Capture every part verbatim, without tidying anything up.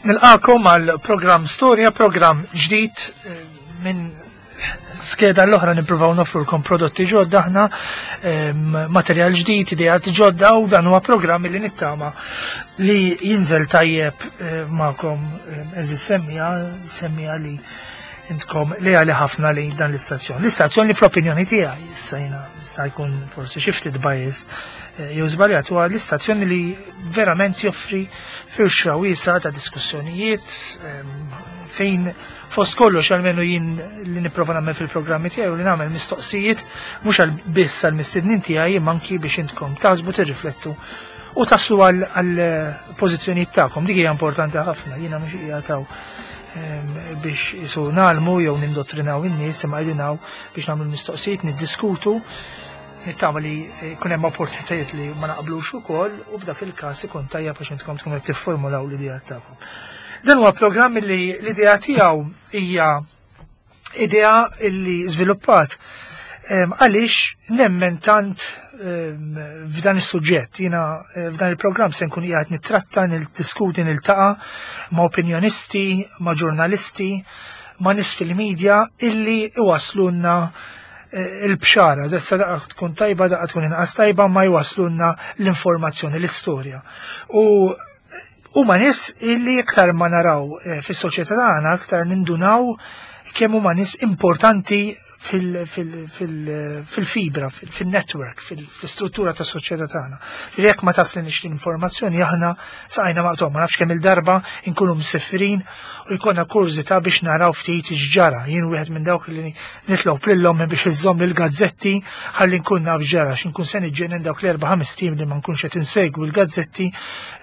Nilqakom għal programm Storja, programm ġdid eh, minn skeda l-oħra nippruvaw nofrulkom prodotti ġodda aħna, materjal ġdid, ideat ġodda, u dan huwa programm li nittama li jinżel tajjeb eh, magħkom, eżis semmija, semmija li intkom li għali ħafna li dan l-istazzjon. L-istazzjon li fl-opinjoni tiegħi, issa jiena jista' jkun forsi xi ftit biased eh, jew żbaljat, huwa l-istazzjon li verament joffri firxa wiesa ta' diskussjonijiet fejn fost kollox, għalmenu jien li nipprova nagħmel fil-programmi tiegħi u li nagħmel mistoqsijiet mhux għal biss għal mistednin tiegħi, imma anki biex intkom taħsbu, tirriflettu u taslu għal pożizzjonijiet tagħkom. Dik hija importanti ħafna. Jiena mhux qiegħed biex jisu nagħmlu jew nindottrinaw in-nies, imma qegħdin biex nagħmlu mistoqsijiet, niddiskutu, nittama li jkun hemm opportunitajiet li ma naqblux ukoll u f'dak il-każ ikun tajjeb biex intkom tkunu qed tiffurmulaw l-idea tagħkom. Dan huwa programm li l-idea tiegħu hija idea li żviluppat għaliex nemmen tant f'dan is-suġġett. Jiena eh, f'dan il-programm se nkun qiegħed nittratta, niddiskuti, niltaqa' ma' opinjonisti, ma' ġurnalisti, ma' nies fil-medja illi iwaslunna eh, il-bxara, dessa daqqa tkun tajba, daqqa tkun inqas tajba, ma jwaslunna l-informazzjoni, l-istorja. U huma nies illi iktar ma naraw eh, fis-soċjetà tagħna, aktar nindunaw kemm huma nies importanti fil-fibra, fil-network, fil-struttura ta' soċjetà tagħna. Li jekk ma taslinix l-informazzjoni, aħna saqajna maqtugħa. Ma nafx kemm il-darba nkunu msefrin u jkollna kurżità biex naraw ftit x'ġara. Jien wieħed minn dawk li nitlob lil ommi biex iżomm il-gazzetti ħalli nkun naf x'ġara, x'inkun se niġġenen dawk l-erba' ħames tim li ma nkunx qed insegwi l-gazzetti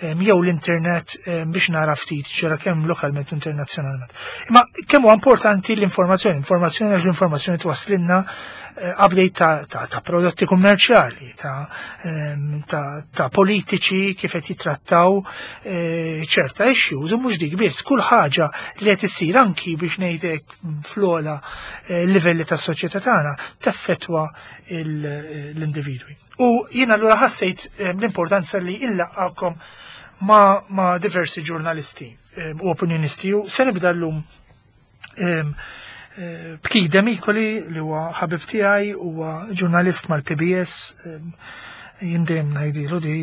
jew l-internet biex nara ftit x'ġara kemm lokalment u internazzjonalment. Imma kemm huwa importanti l-informazzjoni, informazzjoni, għax l-informazzjoni twaslinna eh, update ta', ta, ta prodotti kummerċjali, ta', ta, ta politiċi kif qed jitrattaw eh, ċerta issues, u mhux dik biss, kull ħaġa li qed issir anki biex ngħidlek fl-ogħla eh, livelli tas-soċjetà tagħna teffettwa l-individwi. U jiena allura ħassejt l-importanza li nlaqqagħkom ma, ma diversi ġurnalisti u opinjonisti, u se nibda llum b'Keith Demicoli, li huwa ħabib tiegħi, huwa ġurnalist mal-P B S. Jien dejjem ngħidilu di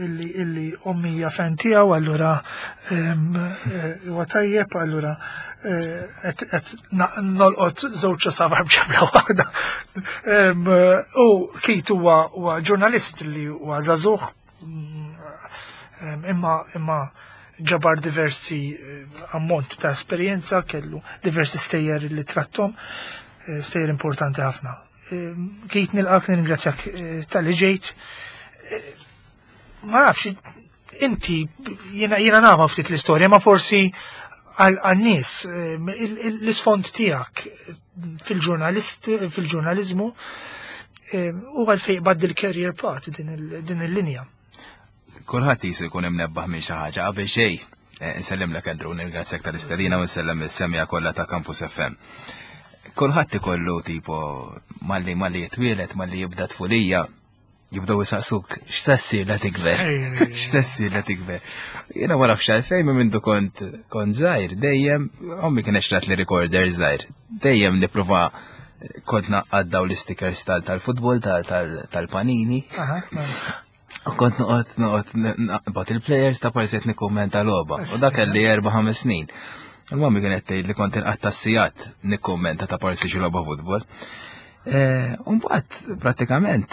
illi illi ommi hija fan tiegħu, allura huwa tajjeb, allura qed nolqot żewġ għasafar b'ġebla waħda. U Keith huwa ġurnalist li huwa żagħżugħ, imma imma ġabar diversi eh, ammont ta' esperjenza, kellu diversi stejjer li trattom, eh, stejjer importanti ħafna. Eh, Keith, nilqak, nirringrazzjak talli ġejt. Ma nafx, inti, jiena jiena nafa ftit l-istorja, ma forsi għal-nies, l-isfond tiegħek fil-ġurnalist, fil-ġurnalizmu, u għalfejn qbadt il-career path din il-linja. Kulħadd jisu jkun imnebbaħ minn xi ħaġa qabel xejn. Eh, Nsellimlek, Andrew, nirringrazzjak tal-istedina u nsellem is-semmiegħa kollha ta' Campus F M. Kulħadd ikollu tipo malli malli jitwielet, malli jibda tfulija, jibdew jisaqsuk x'se ssir la tikber. X'se ssir la tikber. Jiena ma nafx għalfejn, minn mindu kont kont żgħir, dejjem ommi kien xtrat li recorder żgħir. Dejjem nipprova kont ngħaqqad daw l-stickers tal-futbol tal-Panini. U kont noqgħod noqgħod naqbad il-players ta' parsiet nikkummenta logħba. U dak kelli erba' ħames snin. Il-mami kienet tgħid li kont inqatta' sigħat nikkummenta ta' parsi xi logħba futbol. Mbagħad prattikament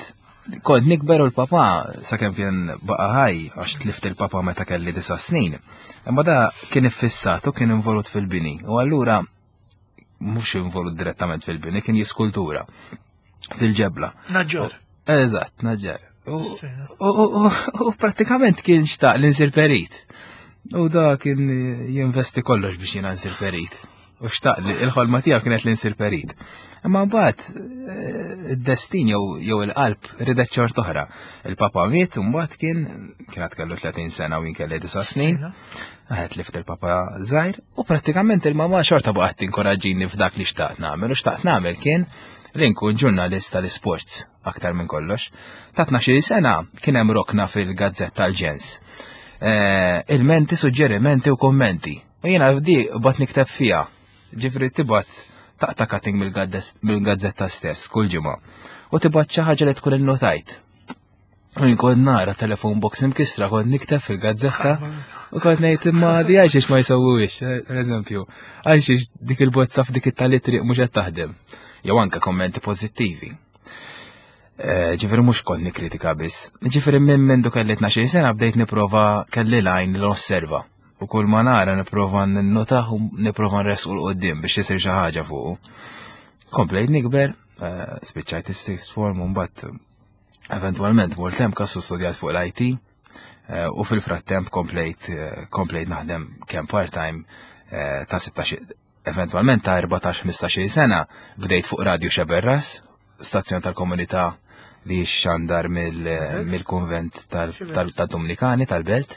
kont nikber u l-papa, sakemm kien baqa' ħaj, għax tlift il-papa meta kelli disa' snin. Imma da kien iffissat u kien involut fil-bini. U allura mhux involut direttament fil-bini, kien jiskultura fil-ġebla. Naġġor. Eżatt, naġġar. U prattikament kien xtaq li nsir perit. U da kien jinvesti kollox biex jiena nsir perit. U xtaq li il-ħolma tiegħu kienet li nsir perit. Imma mbagħad eh, id-destin jew il-qalb ridet xort oħra. Il-papa miet u mbagħad kien kien kellu tletin sena u jien kelli disa' snin. Għedt tlift il-papa żgħir u prattikament il-mama xorta baqgħet tinkoraġġini f'dak li xtaqt nagħmel, u xtaqt nagħmel kien li nkun ġurnalist tal-sports aktar minn kollox. Ta' tnax-il sena kien hemm rokna fil-gazzetta tal-Ġens. Eh, ilmenti, suġġerimenti u kommenti. U jiena di bat nikteb fiha. Ġifieri tibgħat taqta' cutting mill-gazzetta stess kull ġimgħa. U tibgħat xi ħaġa li tkun innotajt. U kont nara telephone box imkisra, kont nikteb fil-gazzetta u kont ngħid, imma di għalxiex ma jsewwuhiex, per eżempju, għalxiex dik il-bozza f'dik it-tali triq mhux qed taħdem. Jew anke kommenti pożittivi. Eh, ġifieri mhux kont nikkritika biss. Ġifieri minn mindu kelli tnax-il sena bdejt nipprova, kelli l-għajn li osserva. U kull ma nara nipprova ninnotah u nipprova nresqu 'l quddiem biex isir xi ħaġa fuqu. Komplejt nikber, eh, spiċċajt is-sixth form u mbagħad eventualment mort hemm kassu studjat fuq l-I T eh, u fil-frattemp komplejt komplejt naħdem kemm part-time ta' sittax, eventualment ta' erbatax ħmistax sena bdejt fuq Radio Sceberras, stazzjon tal-komunità li xandar mill-konvent tal-Dominikani tal-Belt.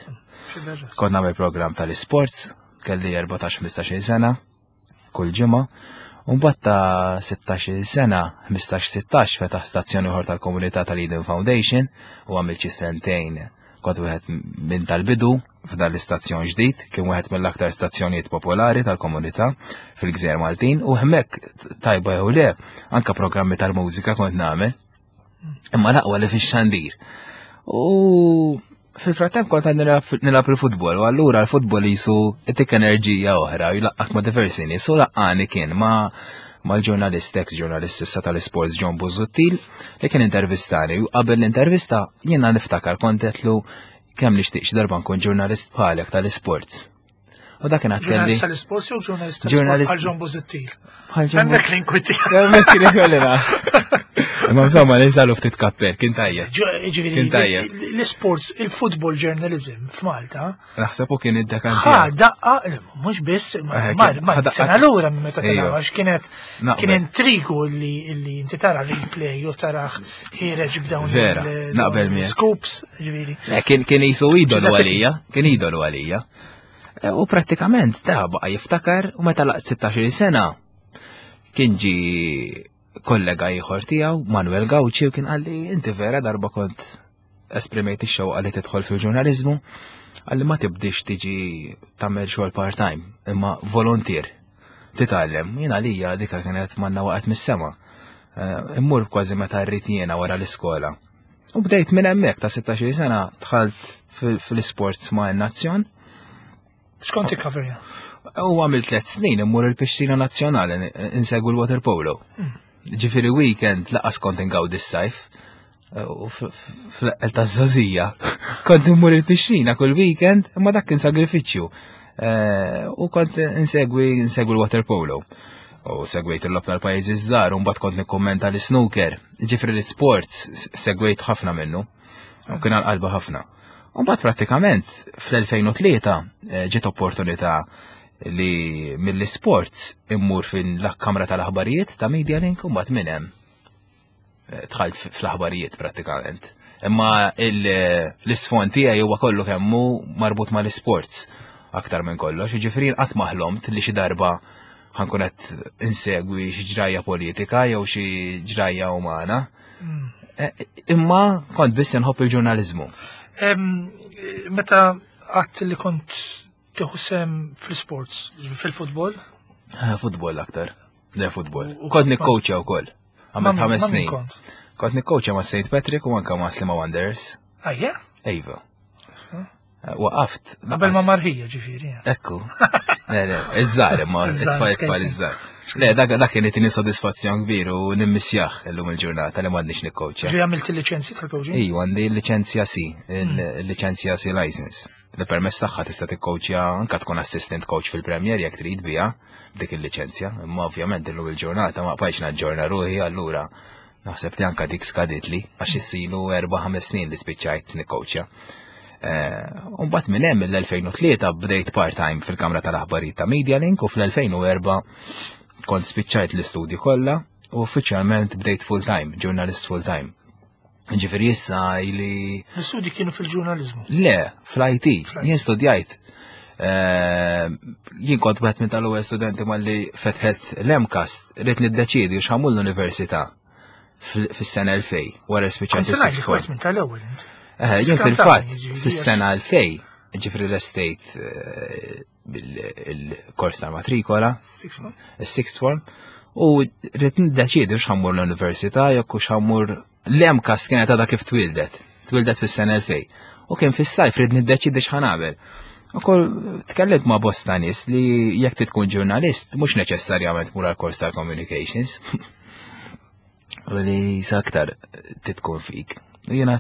Kont nagħmel program tal-sports, kelli erbatax ħmistax sena, kull ġimgħa. U mbagħad ta' sittax-il sena, ħmistax sittax, fetaħ stazzjoni ieħor tal-komunità tal-Eden Foundation u għamilt xi sentejn, kont wieħed minn tal-bidu f'dan l-istazzjon ġdid, kien wieħed mill-aktar stazzjonijiet popolari tal-komunità fil-Gżejjer Maltin u hemmhekk, tajba jew le, anka programmi tal-mużika kont nagħmel. Imma l-aqwa li fix-xandir. U fil-frattemp kont għad nilgħab il-futbol, u allura l-futbol jisu jtik enerġija oħra, jlaqqgħek ma' diversi nies, u laqqani kien ma' mal-ġurnalist, ex-ġurnalist issa tal-sports John Busuttil, li kien intervistani, u qabel l-intervista jiena niftakar kont għedtlu kemm nixtieq xi darba nkun ġurnalist bħalek tal-sports. U dak kien kelli. Ġurnalist tal-sports jew ġurnalist tal-sports bħal John Busuttil? Bħal John. Hemmhekk l-inkwieti. Hemmhekk kien ikollina. Imma insomma ninsalu ftit kappell, kien tajjeb. Ġifieri Kien tajjeb. l-sports, il-football journalism f'Malta Naħseb u kien id-dekan ħa tiegħu. daqqa, mhux biss, ma Eh, ma- kien- ma ħa daqqa- sena lura minn meta Ejja. kien għax kienet Naqbel. kien intrigu li li inti tara replay u taraħ ħiereġ b'dawn Vera, il- naqbel dawn miegħek. scoops, ġifieri. Le, Kien kien jisu idolu Giuseppe. għalija, kien idolu għalija. E, U prattikament ta' baqa jiftakar u meta laqt sittax-il sena kien ġi kollega ieħor tiegħu, Manuel Gauci, u kien qalli, "Inti vera darba kont esprimejt ix-xewqa li tidħol fil-ġurnaliżmu," qalli, "ma tibdix tiġi tagħmel xogħol part-time, imma volunteer. Titgħallem." Jien għalija dika kienet manna waqgħet mis-sema. Eh, Immur kważi meta rrid jiena wara l-iskola. U bdejt minn hemmhekk ta' sittax-il sena dħalt fil- fil-sports ma' Nazzjon X'kont tikkoverja? U għamil tliet snin immur il-pixxina nazzjonali insegwu l-water polo. Ġifieri weekend lanqas kont ingawdi s-sajf. U fl-eqqel ta' żgħożija. Kont immur il-pixxina kull weekend, imma dak kien sagrifiċċju. Eh, U kont insegwi insegwi l-water polo. U segwejt il-logħob tal-pajjiżi żgħar, u mbagħad kont nikkummenta l-snooker. Ġifieri l-sports segwejt ħafna minnu. U kien għal-qalba ħafna. U mbagħad prattikament fl-elfejn u tlieta eh, ġiet opportunità li mill-sports immur fil-kamra tal-aħbarijiet ta' Media Link u mbagħad minn hemm eh, dħalt fl-aħbarijiet prattikament. Imma l-isfond tiegħi huwa kollu kemm hu marbut mal-sports aktar minn kollox. Ġifieri qatt ma ħlomt li xi darba ħa nkun qed insegwi xi ġrajja politika jew xi ġrajja umana. Eh, Imma kont biss inħobb il-ġurnaliżmu. Em, Meta għedt li kont tieħu sehem fil-sports, fil-futbol, Eh, Futbol aktar. Le, futbol. U- u Kont nikkowċja wkoll. Għamilt ma' ħames ma' min snin. kont? Kont nikkowċja ma' Saint Patrick u anka ma' Sliema Wanderers. Ajja? Ejva. Eh, Waqaft. Qabel ma marħija ġifieri. Ekku. Le, le, iż-żgħar imma, Iż-żgħar, it-tfal it-tfal iż-żgħar. Le, dak dak kien itini sodisfazzjon kbir u nimmissjah illum il-ġurnata li m'għandniex nikkowċja. Ġifieri għamilt il-liċenzji tal-coaching? Ejwa, għandi l-liċenzja C, il-liċenzja C license. Li permess tagħha tista' tikkowċja, anka tkun assistant coach fil-Premier jekk trid biha dik il-liċenzja. Imma ovvjament illum il-ġurnata ma bqajtx naġġorna ruħi, allura naħseb li anka dik skaditli għax issilu erba' ħames snin li spiċċajt nikkowċja. U mbagħad minn hemm mill-elfejn u tlieta bdejt part-time fil-Kamra tal-Aħbarijiet ta' Media Link u fl-elfejn u erbgħa kont spiċċajt l-istudji kollha u uffiċjalment bdejt full-time, ġurnalist full-time. Ġifieri issa ili L-istudji kienu fil-ġurnalizmu. Le, fl-I T, jien studjajt. Eh, Jien kont wieħed minn tal-ewwel studenti malli fetħet l-MCAST, rrid niddeċiedi x'ħa mmur l-università fis-sena elfejn, wara Kont spiċċajt se ngħid is-sixth form. minn tal-ewwel inti. Eh, Jien Skantaħni, fil-fatt ġifieri, fis-sena elfejn Ġifieri l-estate eh, bil-kors tal-matrikola, il-sixth form, u rrid niddeċiedi x'ħa mmur l-università jekk hux ħa mmur. L-M CAST kienet għadha kif twildet, twildet fis-sena elfejn. U kien fis-sajf, rrid niddeċiedi x'ħa nagħmel. Ukoll tkellimt ma' bosta nies li jekk tkun ġurnalist mhux neċessarjament mur għal-kors tal-communications. U li sa aktar titkun fik. U jiena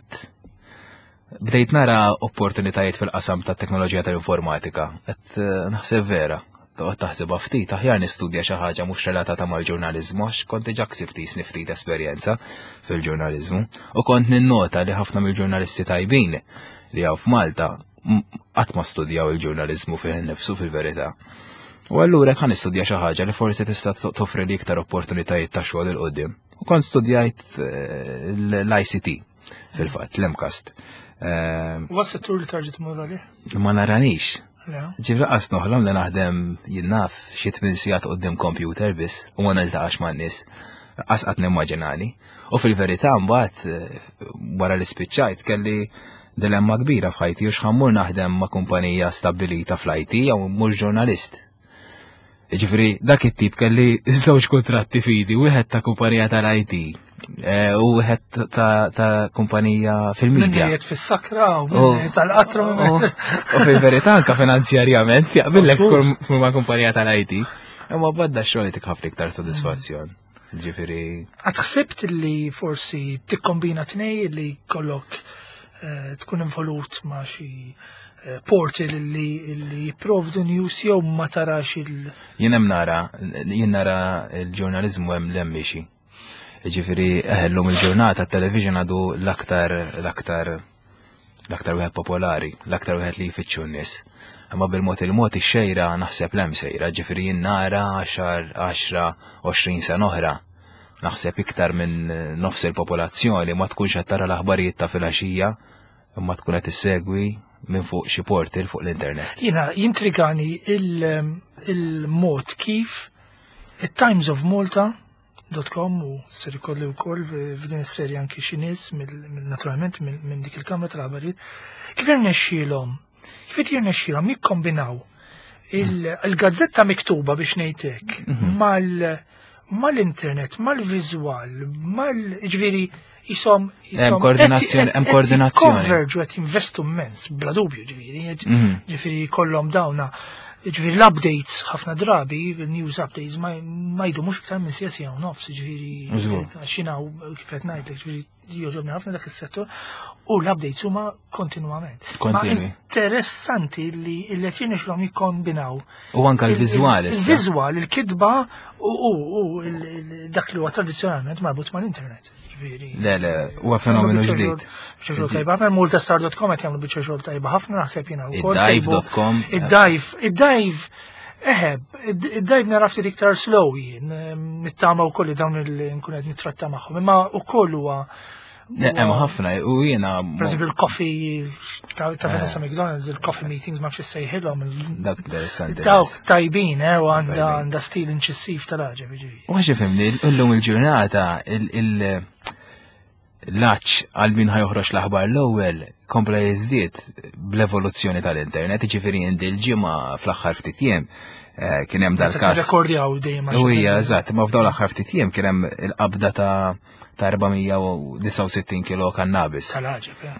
bdejt nara opportunitajiet fil-qasam ta' teknoloġija tal-informatika. Qed eh, naħseb vera, toqgħod taħsibha ftit, aħjar nistudja xi ħaġa mhux relatata mal-ġurnaliżmu, għax kont diġà ksibt jisni ftit esperjenza fil-ġurnaliżmu. U kont ninnota li ħafna mill-ġurnalisti tajbin li hawn f'Malta qatt ma studjaw il-ġurnaliżmu fih innifsu fil-verità. U allura ħa nistudja xi ħaġa li forsi tista' toffri li iktar opportunitajiet ta' xogħol 'il quddiem. U kont studjajt eh, l-I C T fil-fatt, l-M CAST. U għas-settur li tarġa' tmur għalih? Ma naranix. Ġifri qas noħlom li naħdem, jien naf, xi tmien sigħat quddiem computer biss u ma niltaqax man-nies. Qas qatt nimmaġinani. U fil-verità mbagħad eh, wara li spiċċajt kelli dilemma kbira f'ħajti, u x'ħa mmur naħdem ma' kumpanija stabbilita fl-I T jew mhux ġurnalist. Ġifri, dak it-tip kelli żewġ kontratti fidi, wieħed ta' kumpanija tal-I T eh, u wieħed ta' kumpanija fil-media. Min fis-sakra u min tal-qatru. U fil-verità anka finanzjarjament jaqbillek ma' kumpanija tal-I T. Imma badda xogħol tik ħafna iktar sodisfazzjon. Ġifiri. Qatt ħsibt li forsi tikkombina tnej, li kollok eh, tkun involut ma' xi eh, portal li li jipprovdu news, jew ma tarax il- Jien hemm nara, jien nara il-ġurnalizmu hemm 'l hemm miexi. Ġifiri, llum il-ġurnata television għadu l-aktar l-aktar l-aktar wieħed popolari, l-aktar wieħed li jfittxu n-nies. Imma bil-mod il-mod ix-xejra naħseb 'l hemm sejra, ġifiri jien nara għaxar, għaxra, għoxrin sena oħra. Naħseb iktar minn nofs il-popolazzjoni ma tkunx qed tara l-aħbarijiet ta' filgħaxija, imma tkun qed issegwi minn fuq xi portal fuq l-internet. Jiena jintrigani il-mod kif il-Times of Malta dot com, u ser ikolli wkoll f'din is-serja anki xi nies naturalment minn dik il-kamra tal-aħbarijiet, kif irnexxielhom kif qed jirnexxielhom jikkombinaw il-gazzetta miktuba, biex ngħidlek, mhm. mal mal-internet, mal-viżwal, mal ġifieri jisom Hemm koordinazzjoni, hemm koordinazzjoni. Konverġu, qed jinvestu immens, bla dubju ġifieri, mhm. ġifieri kollhom dawna. Ġifieri l-updates ħafna drabi, il-news updates ma jdumux iktar minn siegħa, siegħa u nofs, ġifieri xina kif qed ngħidlek, ġifieri jogħġobni ħafna dak is-settur u l-updates huma kontinwament. Ma interessanti li li qed jirnexxilhom jikkombinaw. U anka l-viżwal. Il-viżwal, il-kitba u dak li huwa tradizzjonalment marbut mal-internet. Le, le, huwa fenomenu ġdid. Biċċa xogħol tajba ħafna, maltastar dot com qed jagħmlu biċċa xogħol tajba ħafna, naħseb jiena wkoll. Id-dive dot com. Id-dive, id-dive. Eħe, id-dive nara ftit iktar slow jien, nittama wkoll li dawn il-nkun qed nittratta magħhom, imma wkoll huwa Hemm ħafna u jiena Per eżempju il-coffee ta' Vanessa McDonald's, il-coffee meetings, ma fx sejħilhom. Dak interessanti. Dawk tajbin, eh, u għandha għandha stil inċissiv tal-ħaġa. U għax ifhimni, illum il-ġurnata l-għatx għal min ħa joħroġ l-aħbar l-ewwel kompla jiżdied bl-evoluzzjoni tal-internet, ġifieri il-ġimgħa fl-aħħar ftit jiem eh, kien hemm dal-każ. Rekordjaw dejjem. U hija eżatt, ma f'dawn l-aħħar ftit jiem kien hemm il-qabda ta' ta' erba' mija u disgħa u sittin kilo kannabis. Tal-ħaġa, eh.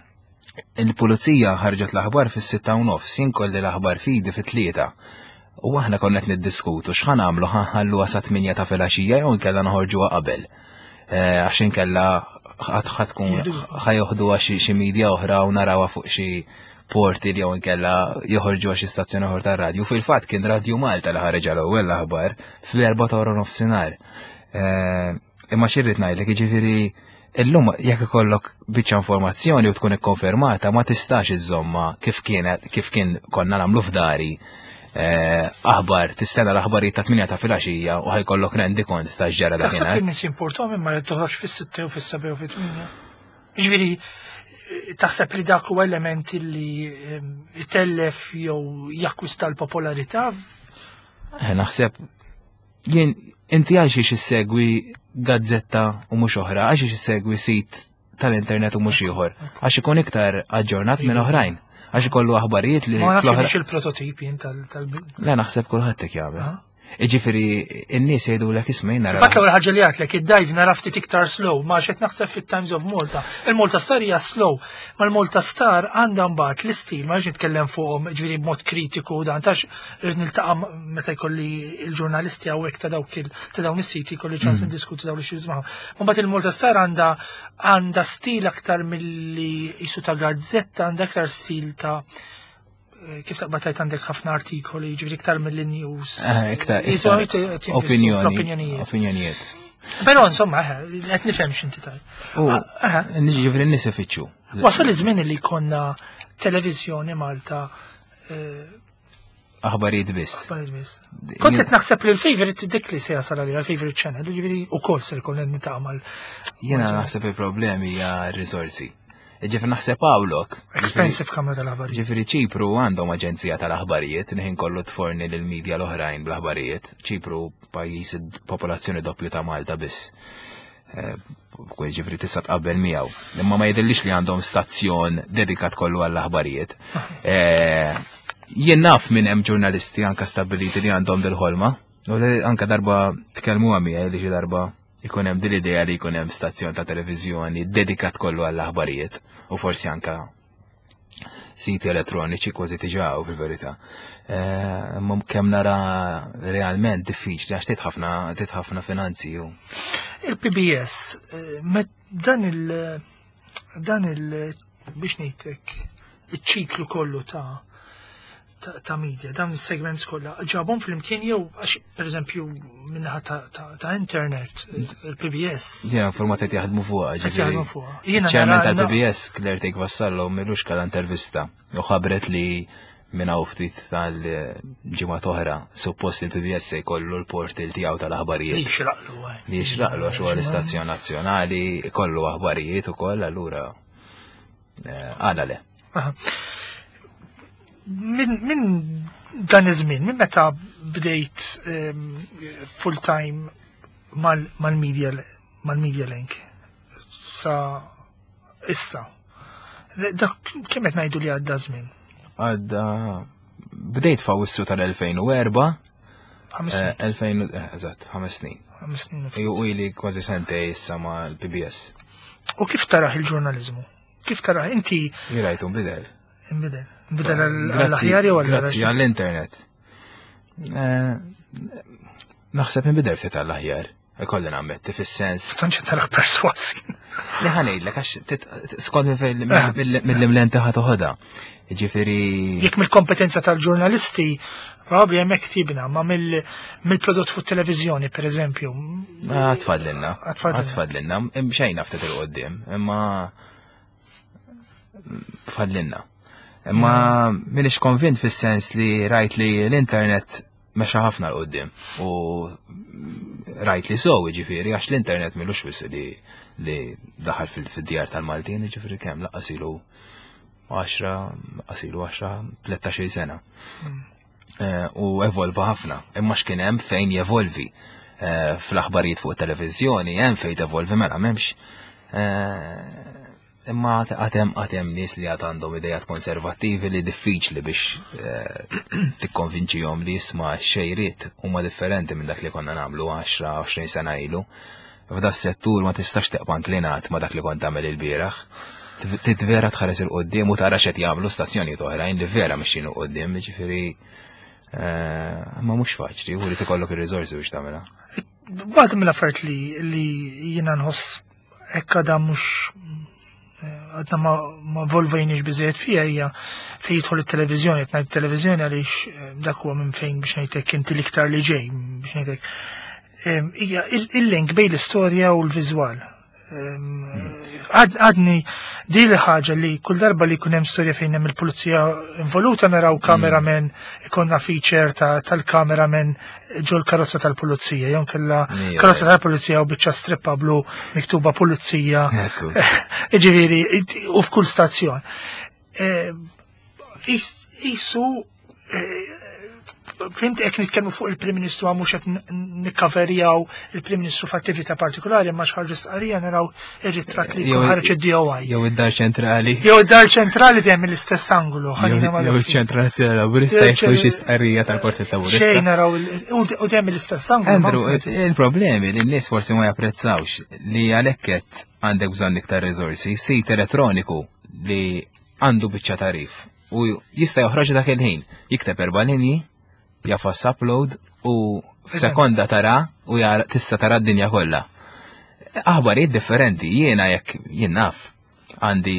Il-pulizija ħarġet l-aħbar fis-sitta u nofs, jien kolli l-aħbar fidi fit-tlieta. U aħna konna qed niddiskutu x'ħa nagħmlu, ħa nħalluha sa tmienja ta' filgħaxija jew inkella noħorġuha qabel. Eh, għax inkella ħa tkun ħa joħduha xi xi media oħra u narawha fuq xi portal jew inkella joħorġuha xi stazzjoni oħra tar-radju. Fil-fatt kien Radju Malta li ħareġ l-ewwel l-aħbar fl-erba' ta' wara nofsinhar. Eh, Imma x'irrid ngħidlek, jiġifieri illum jekk ikollok biċċa informazzjoni u tkun ikkonfermata ma tistax iżomma kif kienet kif kien konna nagħmlu f'dari. Eh, aħbar, tistenna l-aħbarijiet ta' tmienja ta' filgħaxija u ħa jkollok rendikont ta' ġara Taħseb dakinhar. li nies jimportom imma li toħroġ fis-sitta u fis-seba u fit-tmienja? Ġifieri, taħseb li dak huwa element li em, itellef jew jakkwista l-popolarità? Eh, Naħseb jien inti għal xiex issegwi gazzetta u mhux oħra, għal xiex issegwi sit tal-internet u mhux ieħor, għax ikun iktar aġġornat minn oħrajn, għax ikollu aħbarijiet li Ma nafx fl-oħra- biex il-prototip jien tal- tal- Le, naħseb kulħadd hekk jagħmel. Ah. Iġifieri n-nies jgħidulek, isma' jien nara. Fatt l-ewwel ħaġa li għedtlek, id-dive nara ftit iktar slow, ma xed naħseb fit-Times of Malta. Il-Malta Star hija slow, ma l-Malta Star għandha mbagħad l-istil, ma rridx nitkellem fuqhom ġifieri b'mod kritiku dan tax rrid niltaqa' meta jkolli il-ġurnalisti hawnhekk ta' dawk il ta' dawn is-siti, jkolli ċans niddiskuti dawn l-issues magħhom. Mbagħad il-Malta Star għandha għandha stil aktar milli jisu ta' gazzetta, għandha aktar stil ta' eh, kif taqbad tajt għandek ħafna artikoli, ġifieri iktar mill-news. Eh, iktar Jisu iktar qed jinvestu opinjoni, fl-opinjonijiet. Opinjonijiet. Però insomma, eh, qed nifhem x'inti tajt. U Ah, ġifieri n-nies ifittxu. Wasal iż-żmien li konna televiżjoni Malta eh, Aħbarijiet biss. aħbarijiet biss. Kont qed naħseb li l-favorite dik li se jasal għalija, l-favorite channel, ġifieri ukoll se jkun qed nitgħamal. Jiena naħseb il-problemi hija r-risorsi. Ġifieri naħseb hawnlok. Expensive kamra tal-aħbarijiet. Ġifieri Ċipru għandhom aġenzija tal-aħbarijiet, li kollu tforni lil-medja l-oħrajn bl-aħbarijiet. Ċipru pajjiż popolazzjoni doppju ta' Malta biss. Eh, Kwe ġifieri tista' tqabbel miegħu. Imma ma jidhirlix li għandhom stazzjon dedikat kollu għall-aħbarijiet. Eh, Jien naf minn hemm ġurnalisti anka stabiliti li għandhom dil-ħolma. U li anka darba tkellmu miegħi li xi darba ikun hemm dil-idea li jkun hemm stazzjon ta' televiżjoni dedikat kollu għall-aħbarijiet u forsi anka siti elettroniċi kważi tiġaw fil-verità. Eh, Imma kemm nara realment diffiċli għax trid ħafna trid ħafna finanzi u Il-P B S, eh, met dan il- dan il biex ngħidlek iċ-ċiklu kollu ta' ta' ta' media, dawn is-segments kollha ġabhom flimkien jew għax pereżempju minnaħa ta', ta, ta' internet il-P B S Jiena informat qed jaħdmu fuqha. Qed jaħdmu fuqha. Jiena Chairman nara- tal-P B S Claire Thake Vassallo m'ilux kellha intervista u ħabret li minn hawn ftit tal-ġimgħa oħra suppost il-P B S se jkollu l-portal tiegħu tal-aħbarijiet. Li xraqlu. eh. Li jixraqlu għax huwa l-istazzjon nazzjonali, kollu aħbarijiet ukoll, allura eh, għala le. Aha. Min, min dan iż-żmien, minn meta bdejt um, full time mal- mal-media mal-media link sa issa. Dak kemm qed ngħidu li għadda żmien? Għadda, bdejt f'Awwissu tal-elfejn u erbgħa. Ħames eh, snin. elfejn, eh, eżatt, ħames snin. Ħames snin u ftit. U ili kważi sentej issa ma' l-P B S. U kif taraħ il-ġurnaliżmu? Kif taraħ inti? Jirajtu nbidel. Imbidel? Imbidel Grazzi għall-aħjar jew grazzi għall għall-internet. Eh, Naħseb inbidel ftit għall-aħjar. Ikolli nammetti fis-sens. Tantx taraħ perswasi. Li ħa ngħidlek għax tit- skont minn fejn- mill-lenti ħa toħodha. Ġifieri Jekk mill-kompetenza tal-ġurnalisti, probabbli hemmhekk tibna, ma mill- mill-prodott fuq televiżjoni, per eżempju. Għad fadlilna. Għad fadlilna. Għad fadlilna. Xejna ftit il-qoddim, imma fadlilna. Imma minix konvint fis-sens li rajt li l-internet mexa ħafna l-qoddim u rajt li so, ġifieri, għax l-internet m'ilux wisq li li daħal fil-djar tal-Maltin, ġifieri kemm lanqas ilu għaxra, lanqas ilu għaxra, tlettax-il sena. Eh, u evolva ħafna. Imma x'kien hemm fejn jevolvi. Eh, Fl-aħbarijiet fuq televiżjoni hemm fejn tevolvi, mela m'hemmx. Eh, Imma għad hemm għad hemm nies li għad għandhom idejat konservattivi li diffiċli biex eh, tikkonvinċihom li jisma' xejriet huma differenti minn dak li konna nagħmlu għaxra għoxrin sena ilu. F'da settur ma tistax teqpa' inklinat ma dak li kont tagħmel il-bieraħ. Trid vera tħares il-qoddim u tara x'qed jagħmlu stazzjonijiet oħrajn li vera mexjin il-qoddim, ġifieri eh, ma mhux faċli, u li tikollok ir-riżorsi biex tagħmilha. Waħda mill-affarijiet li li jiena nħoss hekk għadha mhux għadna ma, ma evolvejniex biżejjed fija hija fejn jidħol it-televiżjoni, qed ngħid televiżjoni għaliex eh, dak huwa minn fejn biex ngħidlek inti l-iktar li ġej biex ngħidlek. Em, Hija il- il-link bejn l-istorja u l-viżwal. Em, għad- Għadni di li ħaġa li kull darba li jkun hemm storja fejn hemm il-pulizija involuta naraw cameraman, ikonna feature ta' tal-cameraman ġol karozza tal-pulizija, jew kella Ija, karozza tal-pulizija u biċċa strippa blu miktuba pulizija. Ekku. Ġifieri, u f'kull stazzjon. Eh, is- Isu eh, Fhimt, jekk nitkellmu fuq il-Prim Ministru, mhux qed nikkaverjaw il-Prim Ministru f'attività partikolari, ma x'ħarġu stqarrija, naraw ir-ritratt li jkun ħareġ id-D O I. Jew id-Dar Ċentrali. Jew id-Dar Ċentrali, dejjem l-istess angolu. Jew iċ-Ċentru Nazzjonali Laburista, jekk xi stqarrija tal-Partit Laburista. Xejn, naraw u dejjem l-istess angolu. Andrew, il-problemi li n-nies forsi ma japprezzawx li għalhekk qed għandek bżonn iktar riżorsi, sit elettroniku li għandu biċċa tarif u jista' joħroġ dak il-ħin, jikteb erba' linji, jagħfas upload u f'sekonda tara u tista' tara d-dinja kollha. Aħbarijiet differenti, jiena jekk jien naf għandi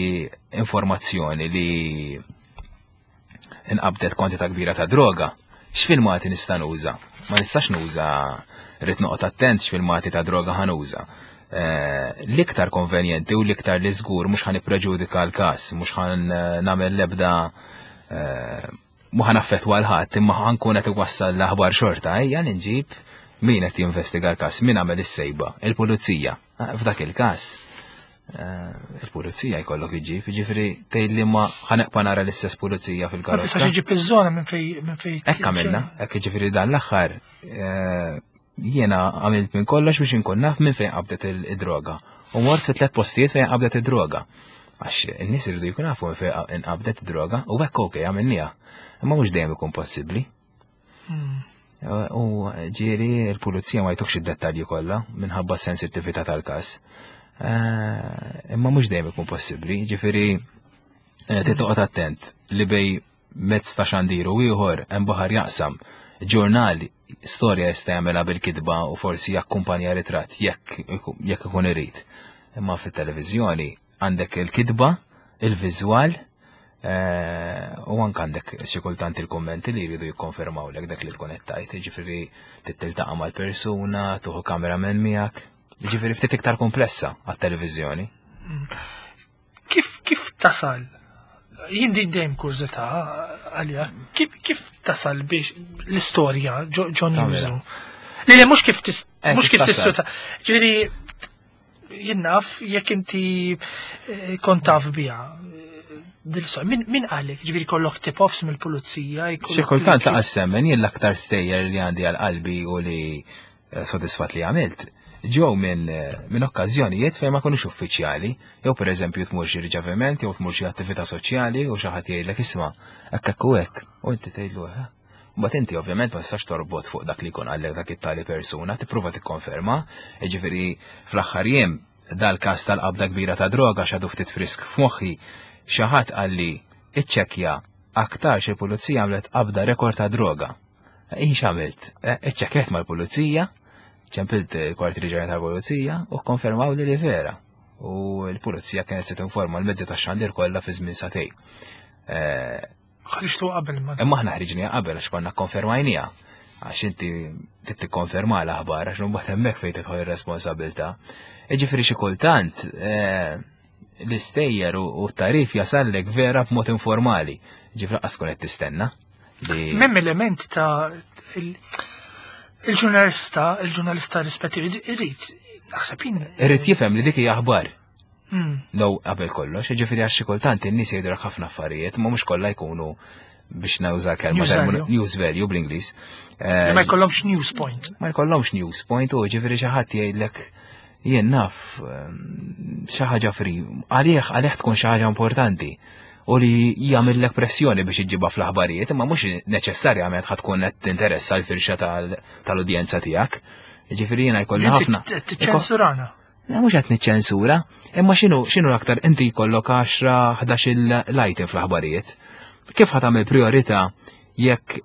informazzjoni li inqabdet kwantità kbira ta' droga, x'filmati nista' nuża? Ma nistax nuża, rrid noqgħod attent x'filmati ta' droga ħa nuża. Eh, l-iktar konvenjenti u l-iktar li żgur mhux ħa nippreġudika l-każ, mhux ħa nagħmel l-ebda eh, mhux ħa naffettwa 'l ħadd, imma ħa nkun qed iwassal l-aħbar xorta, ejja nġib min qed jinvestiga l-każ, min għamel is-sejba, il-pulizija. Eh, f'dak il-każ, il-pulizija jkollok iġib, ġifieri tgħid li ma ħa nibqa' nara l-istess pulizija fil-karozza. Ma tistax iġib iż-żona minn fej minn fej. Hekk għamilna, hekk, ġifieri dan l-aħħar jiena għamilt minn kollox biex inkun naf minn fejn qabdet id-droga. U mort fi tliet postijiet fejn qabdet id-droga. Għax in-nies iridu jkun nafu minn fejn inqabdet id-droga u hekk, okej, għamilniha. Imma mhux dejjem ikun possibbli. Hmm. U ġieli il-pulizija ma jtukx id-dettalji kollha minħabba s-sensittività tal-każ. Eh, imma mhux dejjem ikun possibbli, ġifieri eh, titoqgħod attent li bejn mezz ta' xandiru ieħor hemm baħar jaqsam. Ġurnali, storja jista' jagħmilha bil-kitba u forsi jakkumpanja ritratt jekk jekk ikun irid. Imma fit-televiżjoni għandek il-kitba, il-viżwal, eh, u anke għandek xi kultant il-kummenti li jridu jikkonfermaw lek dak li tkun qed tgħid, jiġifieri tiltaqa' mal-persuna, tieħu cameraman miegħek. Ġifieri ftit iktar komplessa għat-televiżjoni. Kif kif tasal? Jien din dejjem kurżità għalija. Kif kif tasal biex l-istorja ġo ġo newsroom? Li li mhux kif tis Eh, mhux kif kif tasal? tissuta. Ġifieri jien naf jekk inti eh, kont taf biha eh, dil-istorja. Min min qalek? Ġifieri kollok tip-offs mill-pulizija? Xi kultant laqas semmen, jien l-aktar stejjer li għandi għal qalbi u li eh, sodisfat li għamilt ġew minn eh, minn okkażjonijiet fejn ma kunux uffiċjali, jew pereżempju tmur xi riċeviment jew tmur xi attività soċjali u xi ħadd jgħidlek, "Isma', hekk hekk u hekk," u inti tgħidlu "Eh." Mbagħad inti ovvjament ma tistax torbot fuq dak li jkun għallek dak it-tali persuna, tipprova tikkonferma, jiġifieri fl-aħħar jiem dal-każ tal-qabda kbira ta' droga xadu ftit frisk f'moħħi, xi ħadd qalli, "Iċċekkja, aktar xi pulizija għamlet qabda rekord ta' droga." Jien x'għamilt? Eh, Iċċekkjat mal-pulizija, ċempilt il-kwartieri ġenerali tal-pulizija u konfermaw li li vera. U l-pulizija kienet se tinforma l-mezzi tax-xandir kollha fi żmien sagħtejn. Eh, Ħriġtu qabel ma. Imma aħna ħriġniha qabel għax konna konfermajniha. Għax inti trid tikkonferma l-aħbar, għax mbagħad hemmhekk fejn tidħol ir-responsabilità. Jiġifieri xi kultant eh, l-istejjer u u t-tarif jasallek vera b'mod informali. Ġifieri lanqas tkun qed tistenna. Li M'hemm element ta' il- il-ġurnalista, il-ġurnalista rispettivi, irrid, naħseb jien. Irrid jifhem li dik hija aħbar. Mm. No, qabel kollox, ġifieri għax xi kultant in-nies jgħidu ħafna affarijiet, ma mhux kollha jkunu, biex nuża kelma News terminu- value. News value bl-Ingliż. Li ma jkollhomx news point. Ma jkollhomx news point u ġifieri xi ħadd jgħidlek, jien naf, ehm, xi ħaġa free, għalih għalih tkun xi ħaġa importanti u li jagħmellek pressjoni biex iġġibha fl-aħbarijiet, imma mhux neċessarjament ħa tkun qed tinteressa l-firxa tal- tal-udjenza tiegħek. Ġifieri jiena jkolli ħafna. Tiċċensurana. Le, mhux qed niċċensura, imma x'inhu x'inhu l-aktar, inti jkollok għaxra ħdax l-item fl-aħbarijiet. Kif ħa tagħmel priorità jekk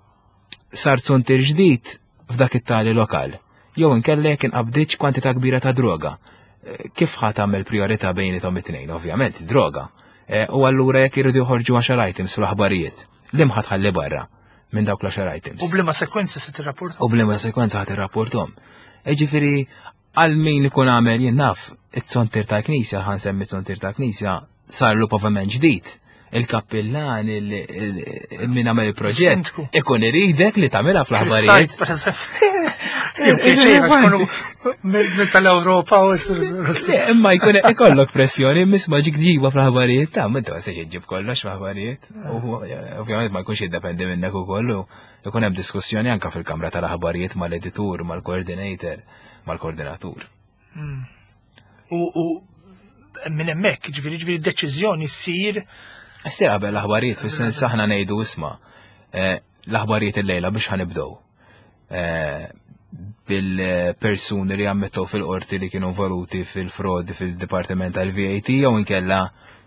sar zuntier ġdid f'dak it-tali lokal? Jew inkella jekk inqabdiċ kwantità kbira ta' droga. Eh, Kif ħa tagħmel priorità bejniethom it-tnejn? Ovvjament, droga. Eh, U allura jekk iridu joħorġu għaxar items fl-aħbarijiet, li ħa tħalli barra minn dawk l-għaxar items? U b'liema sekwenza se tirrapporta? U b'liema sekwenza ħa tirrapportahom. Ġifieri, għal min ikun għamel, jien naf, it-zuntier ta' knisja, ħa nsemmi it-zuntier ta' knisja, sarlu pavement ġdid. Il-kappillan, il- il- min għamel il-proġett, Sindku. ikun iridek li tagħmilha fl-aħbarijiet. Fis-sajt, per eżempju. Minn tal-Ewropa u Imma jkun ikollok pressjoni, misma ġik ġiba fl-aħbarijiet, ta' minta ma sex ġib kollox fl-aħbarijiet. U ovvjament ma jkunx jiddependi minnek ukoll u jkun hemm diskussjoni anka fil-kamra tal-aħbarijiet mal-editur, mal-coordinator, mal-koordinatur. Hmm. U minn hemmhekk, ġifieri ġifieri deċiżjoni ssir. Ssir qabel l-aħbarijiet, fis-sens aħna ngħidu isma' eh, l-aħbarijiet illejla biex ħanibdew. Eh, bil-persuni li ammettew fil-qorti li kienu involuti fil-frodi fil-Dipartiment tal-V A T jew inkella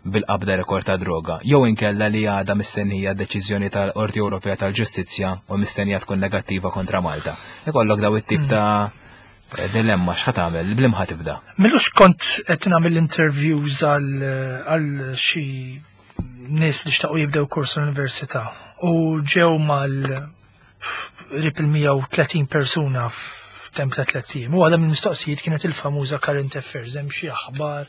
bil-qabda rekord ta' droga, jew inkella li għada mistennija deċiżjoni tal-Qorti Ewropea tal-Ġustizzja u mistennija tkun negattiva kontra Malta. Ikollok daw it-tip ta' dilemma x'ħa tagħmel, b'liema ħa tibda. M'ilux kont qed nagħmel interviews għal xi nies li xtaqu jibdew kors l-università u ġew mal qrib il-mija u tletin persuna f'temp ta' tliet ijiem. U waħda mill-mistoqsijiet kienet il-famuża current affairs, hemm xi aħbar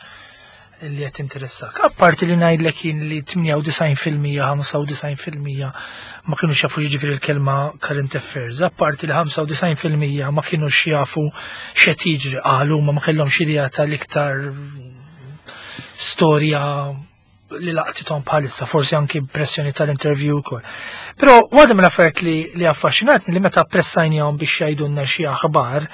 li qed interessak. Apparti li ngħidlek jien li tmienja u disgħin fil-mija, ħamsa u disgħin fil-mija ma kienux jafu jiġifieri l-kelma current affairs, apparti li ħamsa u disgħin fil-mija ma kienux jafu x'qed jiġri, qalu ma ma kellhomx idea tal-iktar storja li laqtithom bħalissa, forsi anki pressjoni tal-interview ukoll. Però waħda mill-affarijiet li, li affaxxinatni li meta pressajnihom biex jgħidulna xi aħbar,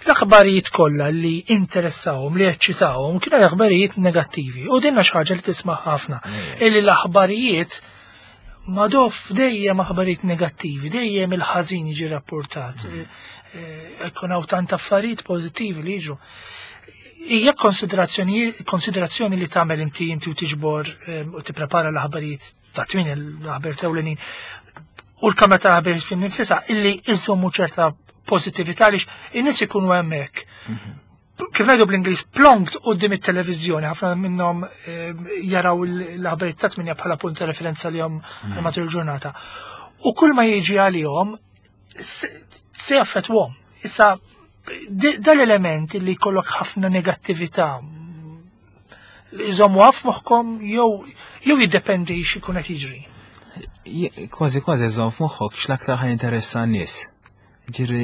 l-aħbarijiet kollha li interessawhom, li eċċitawhom, kienu aħbarijiet negattivi. U dinna xi ħaġa li tisma' ħafna. Illi l-aħbarijiet madof dejjem aħbarijiet negattivi, dejjem il-ħażin jiġi rapportat. Ikun hawn tant affarijiet pożittivi li jiġu. Hija konsiderazzjoni konsiderazzjoni li tagħmel inti inti u tiġbor u tipprepara l-aħbarijiet ta' tmien l-aħbarijiet ewlenin u l-kamra ta' aħbarijiet fin nifisha illi iżommu ċerta pożittività għaliex in-nies ikunu hemmhekk. Kif ngħidu bl-Ingliż, plonked quddiem it-televiżjoni, ħafna minnhom jaraw l-aħbarijiet ta' tminja bħala punt ta' referenza li jom matul il-ġurnata. U kull ma jiġi għalihom se jaffettwhom. Issa dal-element li jkollok ħafna negattività li jżommu għaf moħkom jew jew jiddependi x'ikun qed jiġri. Kważi kważi żomm f'moħħok x'l-aktar ħa jinteressa n-nies. Ġiri,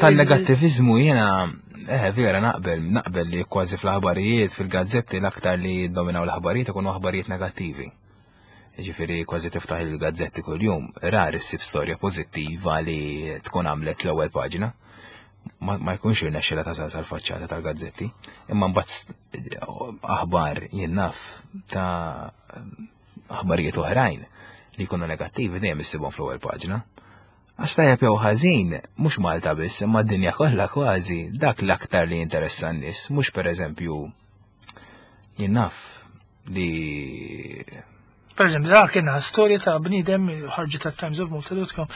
tal-negattivizmu jiena eh vera naqbel, naqbel li kważi fl-aħbarijiet, fil-gazzetti l-aktar li dominaw l-aħbarijiet ikunu aħbarijiet negattivi. Ġifieri kważi tiftaħ il-gazzetti kuljum, rar issib storja pożittiva li tkun għamlet l-ewwel paġna. Ma, ma jkunx irnexxila tasal sal-faċċata tal-gazzetti. Imma mbagħad aħbar jien naf ta' aħbarijiet oħrajn li jkunu negattivi dejjem issibhom fl-ewwel paġna. Għax tajjeb jew ħażin, mhux Malta biss, imma d-dinja kollha kważi, dak l-aktar li jinteressa n-nies, mhux pereżempju jien naf li Per eżempju, dak kien storja ta' bniedem ħarġet ta' Times of Malta dot com,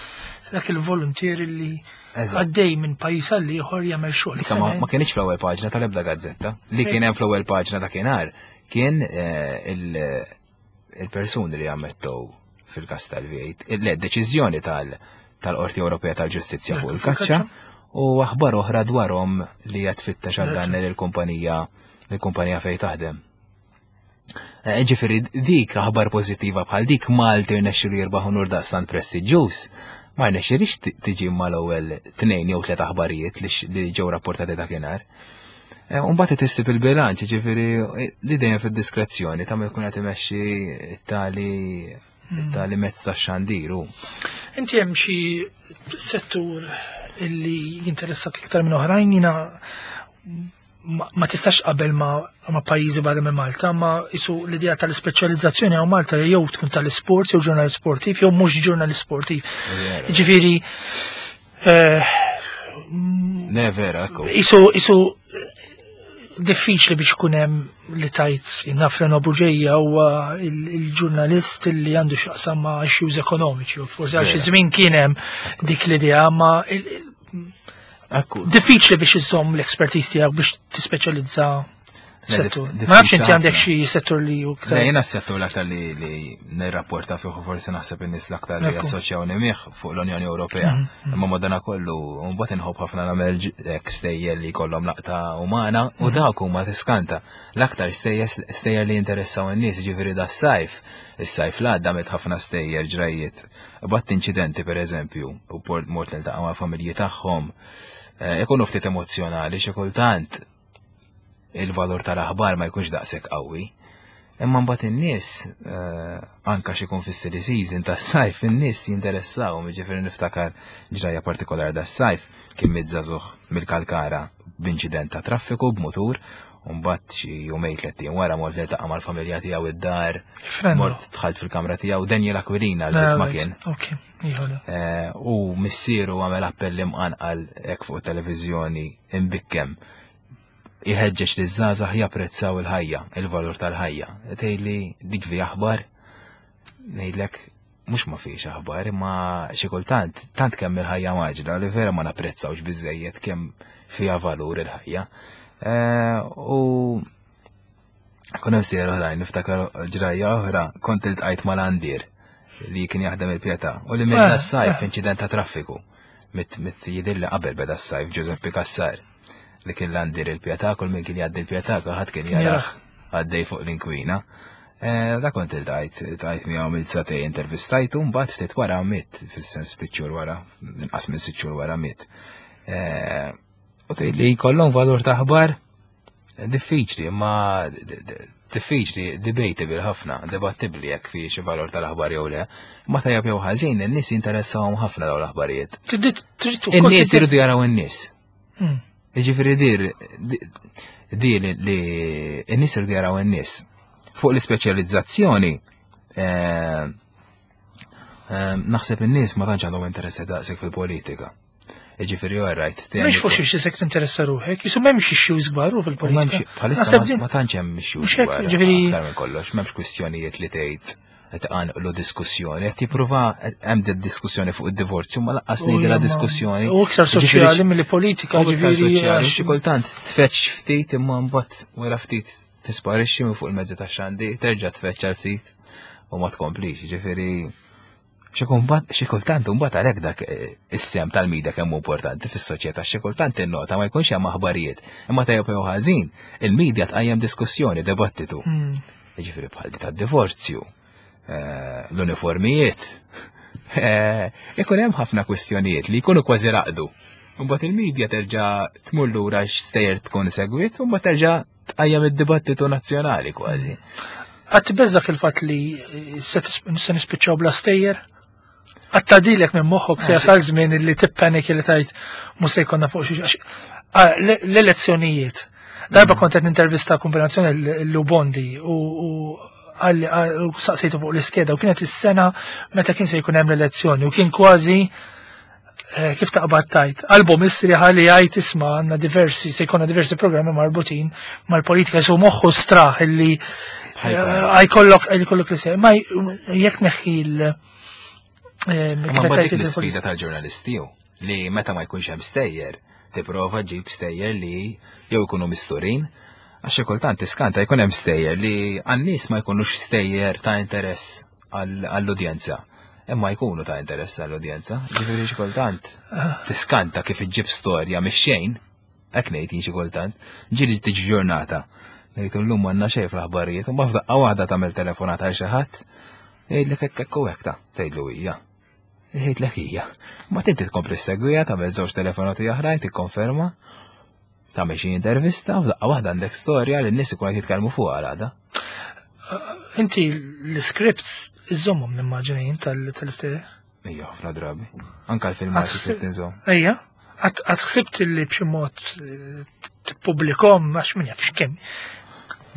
dak il-volunteer li għaddej minn pajjiż għal ieħor jagħmel xogħol. Dika ma kienx fl-ewwel paġna tal-ebda gazzetta. Li kien hemm fl-ewwel paġna dakinhar kien eh, il-persuni li ammettew fil-kas tal-V eight, le deċiżjoni tal-Qorti Ewropea tal-Ġustizzja fuq il-kaċċa u aħbar oħra dwarhom li qed tfittex għal dan il-kumpanija il-kumpanija fejn taħdem. Eh, ġifieri dik aħbar pożittiva bħal dik Malti rnexxielu jirbaħ unur daqstant prestiġjuż, ma rnexxilix tiġi mal-ewwel tnejn jew tliet aħbarijiet li ġew rapportati dakinhar. Eh, Umbagħad tissib il-bilanċ, ġifieri li dejjem fid-diskrezzjoni ta' jkun qed imexxi tali hmm. tali mezz ta' xandiru. Inti hemm xi settur illi jinteressak iktar minn oħrajn? Jiena ma tistax qabel ma, ma pajjiżi barra minn Malta, ma isu l-idea tal-ispeċjalizzazzjoni għaw Malta jew tkun tal-isport, jew ġurnalist sportiv, jew mhux ġurnalist sportiv. Ġifieri eh, Ne vera, ekku. Isu isu diffiċli biex ikun hemm li tajt naf Reno Bugeja huwa il-ġurnalist li għandu x'jaqsam ma' issues ekonomiċi, u forsi għal xi żmien kien hemm dik l-idea, ma diffiċli biex iżomm l-expertise tiegħek biex tispeċjalizza. Settur. Ma nafx inti għandek xi settur li hu Le, jiena s-settur l-aktar li li nirrapporta fih u forsi naħseb in-nies l-aktar li jassoċjawni miegħ fuq l-Unjoni Ewropea. Mhm, mhm. Imma madana kollu mbagħad inħobb ħafna nagħmel hekk stejjer li jkollhom laqta umana u mhm. dawk huma tiskanta. L-aktar stejjer li jinteressaw in-nies, ġifieri das-sajf. Is-sajf l-għadda għamilt ħafna stejjer ġrajiet. Batt inċidenti pereżempju, u mort niltaqa' mal-familji tagħhom. Eh, ikunu ftit emozzjonali xi kultant il-valur tal-aħbar ma jkunx daqshekk qawwi. Imma mbagħad in-nies eh, anka xi jkun fis-silly season tas-sajf in-nies jinteressaw, jiġifieri niftakar ġrajja partikolari das-sajf kien miet żagħżugħ mill-Kalkara b'inċident ta' traffiku b'mutur, u mbagħad xi jumejn tliet ijiem wara mort niltaqa' mal-familja tiegħu id-dar, mort dħalt fil-kamra tiegħu Daniel Aquilina l-vittma kien. Eh, u missieru għamel appell imqanqal hekk fuq it-televiżjoni imbikkem iħeġġeġ li żgħażagħ japprezzaw il-ħajja, il-valur tal-ħajja. Tgħidli dik fi aħbar, ngħidlek mhux ma fiex aħbar, imma xi kultant tant kemm il-ħajja maġla li vera ma napprezzawx biżejjed kemm fiha valur il-ħajja. Eh, u kun hemm sejjer oħrajn, niftakar ġrajja oħra, kont iltqajt mal-għandir li kien jaħdem il-Pietà u li minn eh, sajf eh. inċident ta' traffiku. Mit mit jidhirli qabel beda s-sajf Giuseppe Cassar li kien l-għandir il-Pietà, kull min kien jgħaddi l-Pietà, kulħadd kien jarah għaddej fuq l-inkwina. Eh, da kont iltqajt, iltqajt miegħu mill satej intervistajtu, mbagħad ftit wara miet, fis-sens ftit xhur wara, inqas minn sitt xhur wara miet. Eh, u tgħid li jkollhom valur ta' aħbar diffiċli, imma diffiċli, debatable ħafna, debattibbli jekk fi xi valur tal-aħbar jew le. Ma tajjeb jew ħażin, in-nies jinteressahom ħafna dawn l-aħbarijiet. In-nies iridu jaraw in-nies. Hmm. Jiġifieri dir di li n-nies iridu jaraw in-nies. Fuq l-ispeċjalizzazzjoni, eh, eh, naħseb in-nies ma tantx għandhom interess daqshekk fil-politika. Jiġifieri all right. Mhux fuq xi sekk tinteressa ruħek, jisu m'hemmx issues kbar u fil-politika. Bħalissa ma tantx hemm issues kbar. Ġifieri aktar minn kollox, m'hemmx kwistjonijiet li tgħid qed iqanqlu diskussjoni, qed jipprova hemm diskussjoni fuq id-divorzju, ma laqqas ngħidilha diskussjoni. U iktar soċjali milli politika, ġifieri. Soċjali, xi kultant tfeċ ftit imma mbagħad wara ftit tisparixxi minn fuq il-mezzi tax-xandir, terġa' tfeċċa ftit u ma tkomplix, ġifieri xi kultant imbagħad għalhekk dak eh, is-sem tal-media kemm importanti fis-soċjetà, xi kultant innota ma jkunx hemm aħbarijiet, imma tajjeb jew ħażin, il-media tqajjem diskussjoni, dibattitu. Hmm. Jiġifieri bħal di tad-divorzju, eh, l-uniformijiet. Eh, ikun hemm ħafna kwistjonijiet li jkunu kważi raqdu. Mbagħad il-media terġa' tmur lura x'stejjer tkun segwit, u mbagħad terġa' tqajjem id-dibattitu nazzjonali kważi. Qatt tbeżżak il-fatt li se nispiċċaw bla stejjer? Qatt tgħaddilek minn moħħok se jasal żmien li tippanik li tajt mhux se jkollna fuq xi l-elezzjonijiet. Darba kont qed nintervista kombinazzjoni l-Lubondi u u saqsejtu fuq l-iskeda u kienet is-sena meta kien se jkun hemm l-elezzjoni u kien kważi eh, kif taqbad tajt, album istriħa li għajt isma għanna diversi, se jkollna diversi programmi marbutin mal-politika, su moħħu straħ illi eh, għajkollok għajkollok li se, ma jekk neħħi l- eh, Ma dik l-sfida tal-ġurnalisti li meta ma jkunx hemm stejjer, tipprova ġib stejjer li jew ikunu misturin, għax xi kultant tiskanta jkun hemm stejjer li għan-nies ma jkunux stejjer ta' interess għall-udjenza. Imma jkunu ta' interess għall-udjenza. Ġifieri xi kultant tiskanta kif iġġib storja mix-xejn, hekk ngħid jien xi kultant, ġieli tiġi ġurnata. Ngħid llum m'għandna xejn fl-aħbarijiet, u f'daqqa waħda tagħmel telefonata għal xi ħadd, jgħidlek hekk hekk u hekk ta' tgħidlu hija. Jgħidlek hija. Ma tinti tkompli segwija, tagħmel żewġ telefonati oħrajn, tikkonferma, tagħmel xi intervista, u f'daqqa waħda għandek storja li n-nies ikunu qed jitkellmu fuqha għada. Inti l-scripts iżommhom nimmaġina tal-istejjer? Ejja, ħafna drabi. Anka l-filmati script inżomm. Ejja, għad ħsibt li b'xi mod eh, tippubblikhom għax min jaf x'kemm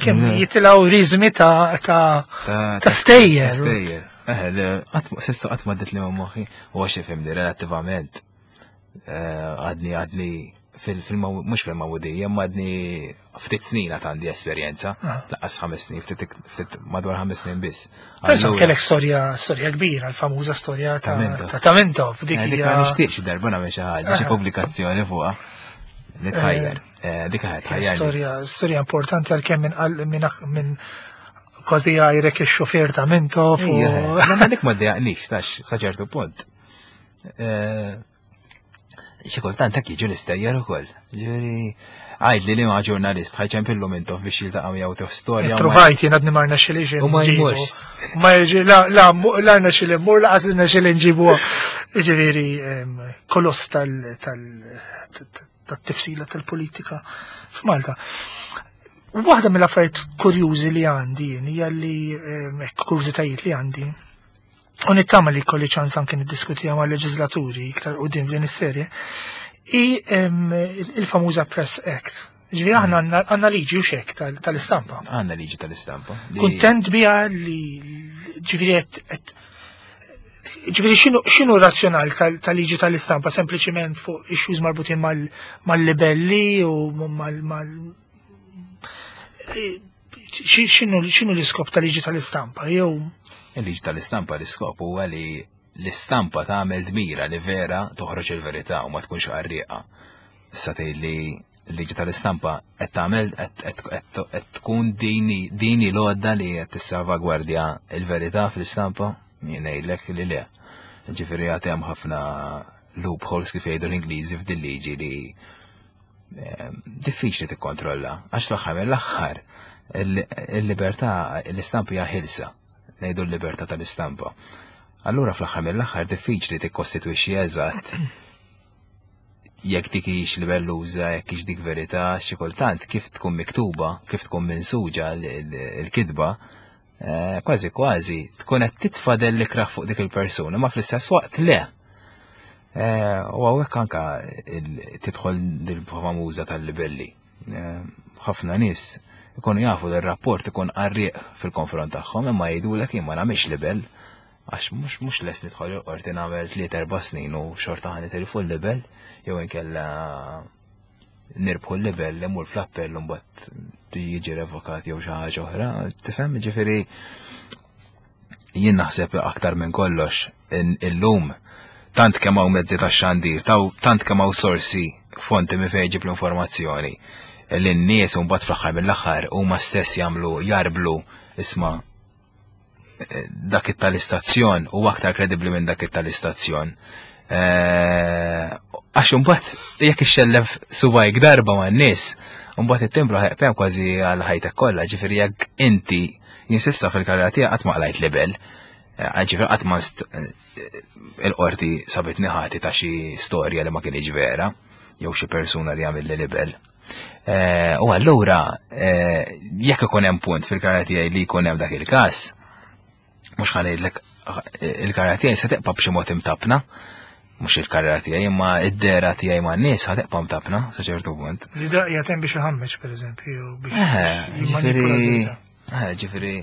kemm jitilgħu riżmi ta' ta' stejjer. Stejjer. Eh, sissa qatt ma li moħħi u għax ifhimni relattivament. Eh, għadni għadni fil-mhux fil-mawdija, ma għadni ftit snin għad għandi esperjenza, ah. laqas ħames snin, ftit madwar ħames snin biss. Pensa kellek storja storja kbira, l-famuża storja ta' Tamento. Dik eh, ma nixtieqx darba nagħmel xi ħaġa, xi ah. pubblikazzjoni fuqha. Nitħajjar. Eh, dik ħajjar. Storja, storja importanti għalkemm minn minn kważi għajrek ix-xufier ta' Mintoff. Ma dik ma ddejjaqnix, tax sa ċertu punt. Eh, xi kultant hekk jiġu l-istejjer ukoll. Ġifieri għajd li li ma' ġurnalist ħajċempillu Mintoff biex jiltaqa' miegħu tieħu storja. Provajt jien għadni marna xili U ma jmurx. Ma jiġi, la, la, la rna xili mmur, la qas xili nġibu. Ġifieri koloss tal tat-tifsila tal-politika f'Malta. Waħda mill-affarijiet kurjużi li għandi hija li hekk kurżitajiet li għandi u nittama li kolli ċans anke niddiskutiha ma' leġislaturi iktar quddiem din is-serje, i il-famuża Press Act. Ġifieri aħna għandna liġi u xek tal-istampa. Għandna liġi tal-istampa. Kuntent biha li ġifieri qed Ġifieri x'inhu razzjonal tal-liġi tal-istampa sempliċiment fuq issues marbutin mal-libelli u mal x'inhu l-iskop tal-liġi tal-istampa jew Il-liġi tal-istampa l-iskop huwa li l-istampa tagħmel dmira li vera toħroġ il-verità u ma tkunx qarrieqa. Issa tgħid li l-liġi tal-istampa qed tagħmel qed tkun dini dini l-għodda li qed tissalvagwardja l-verità fl-istampa? Jien ngħidlek li le. Ġifieri għad hemm ħafna loopholes kif jgħidu l-Ingliżi f'din liġi li diffiċli tikkontrolla. Għax l-aħħar mill-aħħar il-libertà l-istampa hija ħilsa, ngħidu l-libertà tal-istampa. Allura fl-aħħar mill-aħħar diffiċli tikkostitwixxi eżatt jekk dik hix libelluża, jekk hix dik verità, xi kultant kif tkun miktuba, kif tkun minsuġa l-kitba, kważi kważi tkun qed titfa' dell ikraħ fuq dik il-persuna, ma fl-istess waqt le. U hawnhekk anka tidħol dil-famuża tal-libelli. Ħafna nies ikunu jafu li r-rapport ikun qarrieq fil-konfront tagħhom, imma jgħidulek jien ma nagħmilx libel għax mhux mhux lest nidħol il-qorti nagħmel tliet erba' snin u xorta ħa nitilfu l-libel jew inkella nirbħu l-libel li mur fl-appell u mbagħad jiġi revokat jew xi ħaġa oħra, tifhem ġifieri jien naħseb aktar minn kollox illum tant kemm hawn mezzi tax-xandir, tant kemm hawn sorsi fonti minn fejn ġib l-informazzjoni li n-nies u mbagħad fl-aħħar mill-aħħar huma stess jagħmlu jarblu isma' dak tal-istazzjon u aktar kredibbli minn dak tal-istazzjon. Għax imbagħad jekk ixxellef subajk darba man-nies, imbagħad it-timbru ħeqpem kważi għal ħajtek kollha, ġifieri jekk inti jinsista fil-karriera tiegħek qatt ma qlajt libel, ġifieri qatt ma il-qorti sabitni ħati ta' xi storja li ma kienx vera, jew xi persuna li għamil li libel. U allura jekk ikun hemm punt fil-karriera tiegħi li jkun hemm dak il-każ, mhux ħa ngħidlek il-karriera tiegħi se teqpa' b'xi mod imtabna, mhux il-karriera tiegħi imma id-dera tiegħi man-nies ħa teqpa' mtabna sa ċertu punt. Li daqja hemm biex iħammeġ pereżempju biex ġifieri ġifieri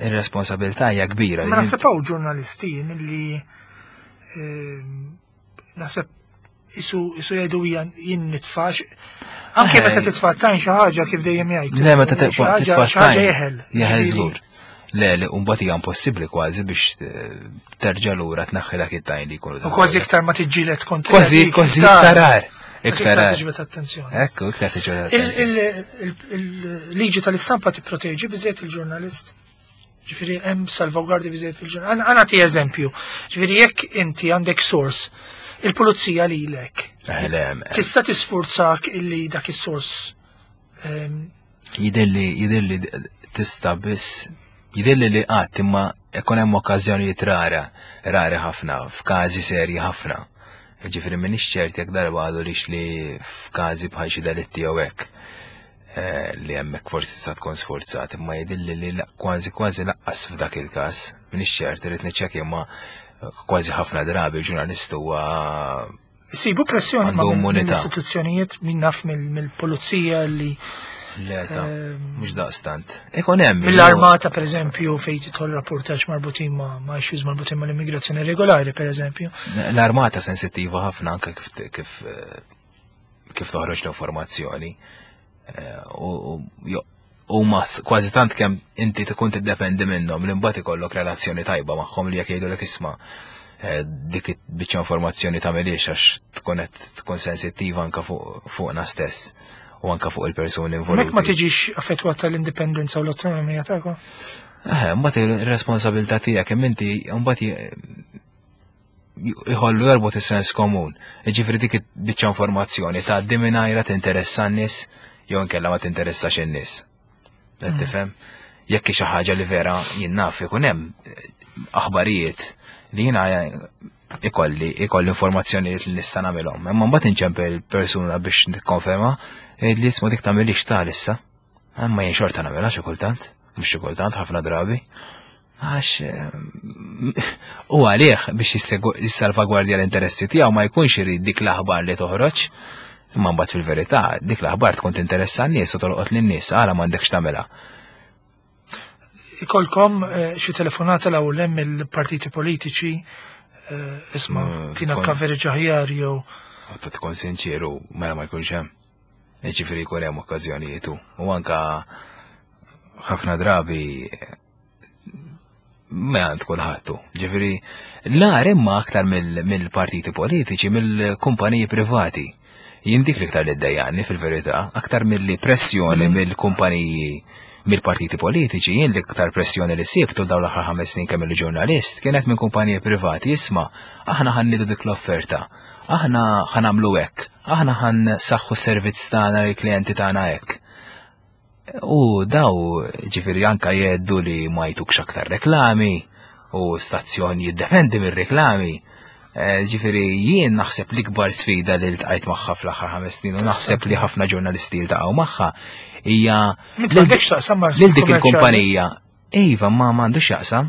ir-responsabilità hija kbira. Ma naħseb hawn ġurnalisti li naħseb isu isu jgħidu jien nitfax. Anke meta titfa' tajn xi ħaġa kif dejjem jgħid. Le meta titfa' tajn. Jeħel. Jeħel żgur. Le, li mbagħad hija impossibbli kważi biex terġa' lura tnaħħi dak it-tajn li jkunu. U kważi iktar ma tiġġieled kontra. Kważi kważi iktar rar. Iktar rar. Tiġbed attenzjoni. Ekku, iktar tiġbed attenzjoni. Il-liġi tal-istampa tipproteġi biżejjed il-ġurnalist. Ġifieri hemm salvaguardi biżejjed fil-ġurnalist. Għana ti eżempju. Ġifieri jekk inti għandek source, il-pulizija lilek. Tista' tisfurzak illi dak is-source. Jidilli jidilli tista' biss jidilli li qatt imma ikun hemm okkażjonijiet rara, rari ħafna, f'każi serji ħafna. Ġifieri m'iniex ċert jekk darba għadu lix li f'każi bħal xi delitti jew hekk li hemmhekk forsi sa tkun sforzat, imma jidilli li kważi kważi laqqas f'dak il-każ. M'iniex ċert, irid niċċekkja imma kważi ħafna drabi l-ġurnalist huwa Isibu pressjoni mill-istituzzjonijiet min naf mill-pulizija li Le, ta' mhux daqstant. Ikun hemm. Mill-armata pereżempju fejn tidħol rapportaġġ marbutin ma' ma' issues marbutin mal-immigrazzjoni regolari pereżempju. L-armata sensittiva ħafna anke kif kif kif toħroġ l-informazzjoni. U ma kważi tant kemm inti tkun tiddependi minnhom li mbagħad ikollok relazzjoni tajba magħhom li jekk jgħidulek isma' Dik biċċa informazzjoni tagħmilhiex għax tkun qed tkun sensittiva anka fuqna stess u anka fuq il-persuni involuti. Mek ma tiġix affettwata l-indipendenza u l-autonomija tagħkom? Eh, mbagħad ir-responsabilità tiegħek kemm inti mbagħad jħollu jorbot is-sens komun. Jiġifieri dik biċċa informazzjoni tgħaddi mingħajra tinteressa n-nies jew inkella ma tinteressax in-nies. Qed tifhem? Jekk xi ħaġa li vera jien naf ikun hemm aħbarijiet li jiena ikolli ikolli informazzjoni li nista' nagħmilhom. Imma mbagħad inċempel persuna biex nikkonferma li ismu dik tagħmilix ta' issa. Imma jien xorta nagħmilha xi kultant, mhux xi kultant ħafna drabi. Għax u għalih biex jissalvagwardja l-interessi tiegħu ma jkunx irid dik l-aħbar li toħroġ. Imma mbagħad fil-verità dik l-aħbar tkun tinteressa n-nies u tolqot lin-nies għala m'għandekx tagħmilha. Ikolkom xi telefonata l hawn hemm il-partiti politiċi isma' tina coverage aħjar jew. Ta' tkun sinċieru mela ma jkunx hemm. Jiġifieri jkun hemm okkażjonijiet u anka ħafna drabi ma għand kulħadd. Ġifieri l-agħar imma aktar mill-partiti politiċi, mill-kumpaniji privati. Jien dik l-iktar li ddejjaqni fil-verità, aktar milli pressjoni mill-kumpaniji mill-partiti politiċi, jien l-iktar pressjoni li sibtu dawn l-aħħar ħames snin kemm il-ġurnalist kienet minn kumpaniji privati. Isma', aħna ħa nniedu dik l-offerta, aħna ħa nagħmlu hekk, aħna ħa nsaħħu s-servizz tagħna lill-klijenti tagħna hekk. U daw ġifieri anka jgħeddu li ma jtukx aktar reklami u stazzjon jiddependi mir-reklami. Ġifieri jien naħseb l-ikbar sfida li ltqajt magħha fl-aħħar ħames snin u naħseb li ħafna ġurnalisti ltaqgħu magħha hija lil dik il-kumpanija. Iva, ma m'għandux jaqsam.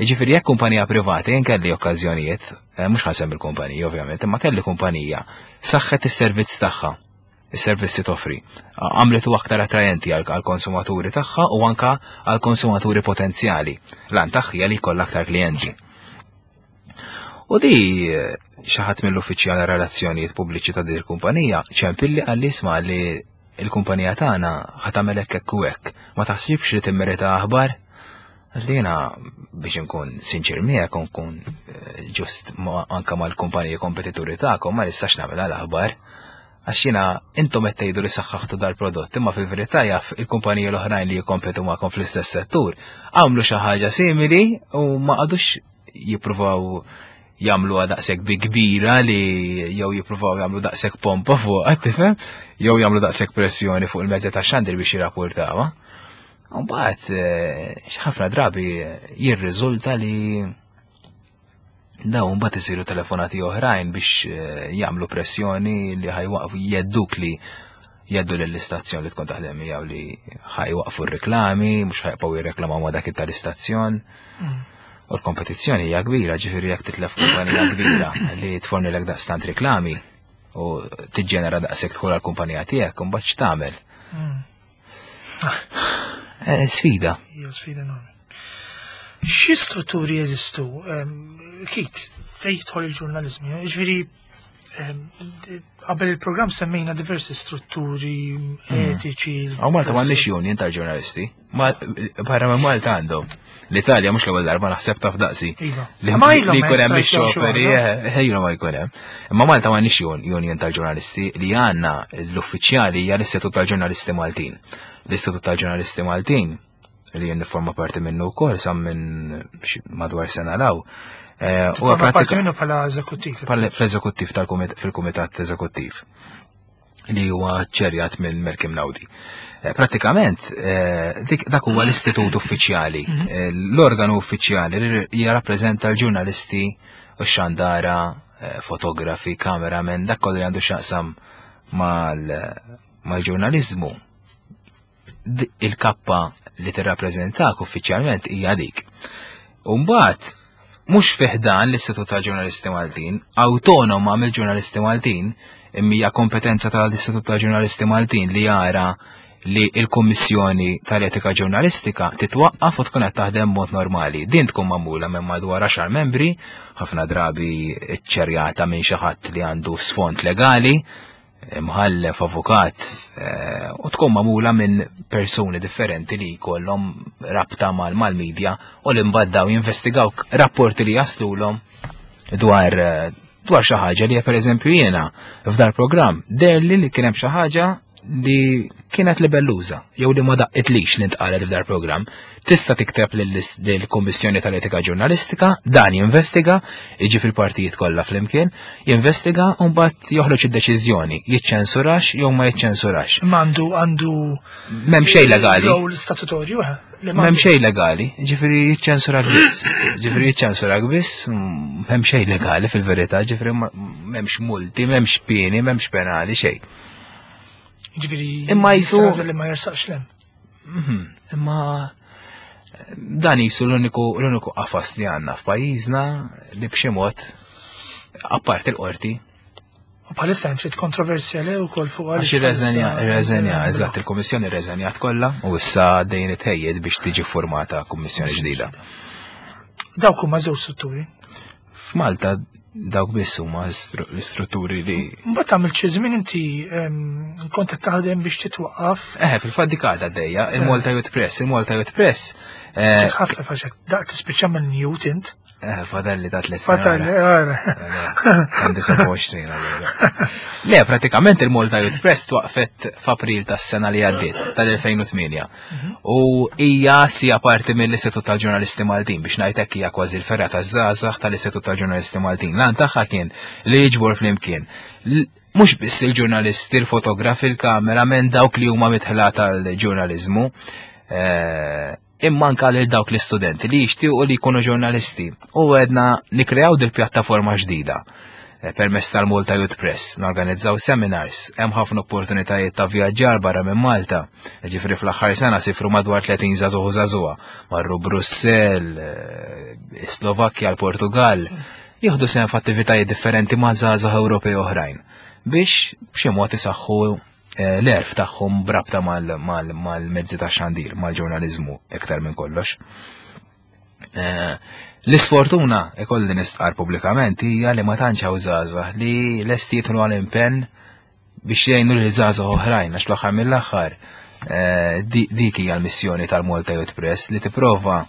Ġifieri jekk kumpanija privata, jien kelli okkażjonijiet, mhux ħasem il-kumpanija ovvjament, imma kelli kumpanija saħħet is-servizz tagħha, is-servizzi toffri. Għamletu aktar attrajenti għall-konsumaturi tagħha u anka għall-konsumaturi potenzjali. Lan tagħha hija li jkollha aktar klijenti. U di xi ħadd mill-uffiċjal relazzjonijiet pubbliċi ta' din il-kumpanija ċempilli qalli isma' li il-kumpanija tagħna ħa tagħmel hekk hekk u hekk. Ma taħsibx li timmerita aħbar? Li jiena biex inkun sinċir miegħek u nkun ġust anka mal-kumpaniji kompetituri tagħkom ma nistax nagħmel l-aħbar. Għax jiena intom qed tgħidu li saħħaħtu dal-prodott, imma fil-verità jaf il-kumpaniji l-oħrajn li jikkompetu magħkom fl-istess settur għamlu xi ħaġa simili u ma qagħdux jippruvaw jagħmluha daqshekk bi kbira li jew jippruvaw jagħmlu daqshekk pompa fuq, tifhem? Jew jagħmlu daqshekk pressjoni fuq il-mezzi tax-xandir biex jirrapportawha. U mbagħad ħafna drabi jirriżulta li dawn mbagħad isiru telefonati oħrajn biex jagħmlu pressjoni li ħajwaqfu jedduk li jeddu lill-istazzjon li tkun taħdem miegħu li ħajwaqfu r-reklami, mhux ħajbqgħu jirreklamaw ma' dak tal-istazzjon. U l-kompetizzjoni hija kbira, ġifieri jekk titlef kumpanija kbira li tfornilek daqstant reklami u tiġġenera daqshekk dħul għall-kumpanija tiegħek, imbagħad x'tagħmel? Sfida. Hija sfida enormi. Xi strutturi jeżistu, Kit, fejn jidħol il-ġurnaliżmu? Jiġifieri qabel il-programm semmejna diversi strutturi etiċi. Hawn Malta m'għandniex union tal-ġurnalisti. Barra minn Malta għandhom. L-Italja mhux l-ewwel darba naħseb taf daqsi. Li jkun hemm ix-xoperi, ejja ma jkun hemm. Imma Malta m'għandniex union tal-ġurnalisti li għandna l-uffiċjali hija l-Istitut tal-Ġurnalisti Maltin. L-Istitut tal-Ġurnalisti Maltin li jien nifforma parti minnu wkoll sa minn madwar sena law. U parti minnu bħala eżekuttiv. Fl-eżekuttiv fil-kumitat eżekuttiv li huwa ċerjat minn Malcolm Naudi. Pratikament, dak huwa l-istitut uffiċjali, l-organu uffiċjali li jirrappreżenta l-ġurnalisti u x-xandara, fotografi, kameramen, dak kollu li għandu x'jaqsam mal-ġurnaliżmu. Il-kappa li tirrappreżentak uffiċjalment hija dik. U mbagħad mhux fih dan l-Istitut tal-Ġurnalisti Maltin, awtonoma mill-ġurnalisti Maltin, imma hija kompetenza tal-Istitut tal-Ġurnalisti Maltin li jara li l-Kummissjoni tal-Etika Ġurnalistika titwaqqaf u tkun qed taħdem mod normali. Din tkun magħmula minn madwar għaxar membri, ħafna drabi ċċerjata minn xi ħadd li għandu sfond legali, imħallef, avukat, u tkun magħmula minn persuni differenti li jkollhom rabta mal-medja u li mbagħad daw jinvestigaw rapporti li jaslulhom dwar eh, dwar xi ħaġa li pereżempju jiena f'dar programm deherli li kien hemm xi ħaġa li kienet libelluża jew li ma daqqitlix li ntqalet f'dar programm. Tista' tikteb lill-Kummissjoni tal-Etika Ġurnalistika, dan jinvestiga, iġi fil-partijiet kollha flimkien, jinvestiga u mbagħad joħroġ id-deċiżjoni, jiċċensurax jew ma jiċċensurax. Ma għandu għandu M'hemm xejn legali. Rol statutorju, eh? Li M'hemm m'għandu. xejn legali, ġifieri jiċċensurak biss. Ġifieri jiċċensurak biss, mm, m'hemm xejn legali fil-verità, ġifieri ma- m'hemmx multi, m'hemmx pieni, m'hemmx penali, xejn. Ġifieri Imma jisu- jista' jagħżel li ma jersaqx lem. Mhm, Imma dan jisu l-uniku l-uniku qafas li għandna f'pajjiżna li b'xi mod apart il-qorti U bħalissa hemm ftit kontroversja le wkoll fuq għax irreżenja, irreżenja, eżatt, il-Kummissjoni irreżenjat kollha u issa dejjem itħejjed biex tiġi formata kummissjoni ġdida. Dawk huma żewġ strutturi. F'Malta dawk biss huma stru- l-istrutturi li Mbagħad għamilt xi żmien inti em, kont qed taħdem biex titwaqqaf Eh, fil-fatt dik għadha għaddejja, il-Malta Youth Press, il-Malta Youth Press. eh, titħaffef għax hekk daqt tispiċċa minn Newt int. eh, Fadalli ta' tliet Fatal, snin. eh, Għandi sebgħa u għoxrin allura. Le, pratikament il-Malta Youth Press twaqfet f'April tas-sena li għaddiet, tal-elfejn u tmienja. U hija sija parti mill-Istitut tal-Ġurnalisti Maltin, biex ngħidlek hija kważi l-fergħa taż-żgħażagħ tal-Istitut tal-Ġurnalisti Maltin. L-għan tagħha kien li jiġbor flimkien L- mhux biss il-ġurnalisti, il-fotografi, il-kameramen, dawk li huma midħla tal-ġurnaliżmu, eh, imma anka lil dawk l-istudenti li jixtiequ li jkunu ġurnalisti. U għedna nikreaw dil-pjattaforma ġdida eh, permezz tal-Malta Youth Press, norganizzaw seminars, hemm ħafna opportunitajiet ta' vjaġġar barra minn Malta. Ġifieri fl-aħħar sena sifru madwar tletin żagħżugħ u żagħżugħa, marru Brussell, eh, Slovakkja, l-Portugal, jieħdu sehem f'attivitajiet differenti ma' żgħażagħ Ewropej oħrajn biex b'xi mod isaħħu eh, l-għerf tagħhom brabta mal- mal- mal-mezzi ta' xandir, mal-ġurnaliżmu iktar minn kollox. Eh, L-isfortuna ikolli nistqar pubblikament hija li ma tantx hawn żgħażagħ li lesti jidħlu għal impenn biex jgħinu lil żgħażagħ oħrajn, għax fl-aħħar mill-aħħar eh, di- dik hija l-missjoni tal-Malta Youth Press, li tipprova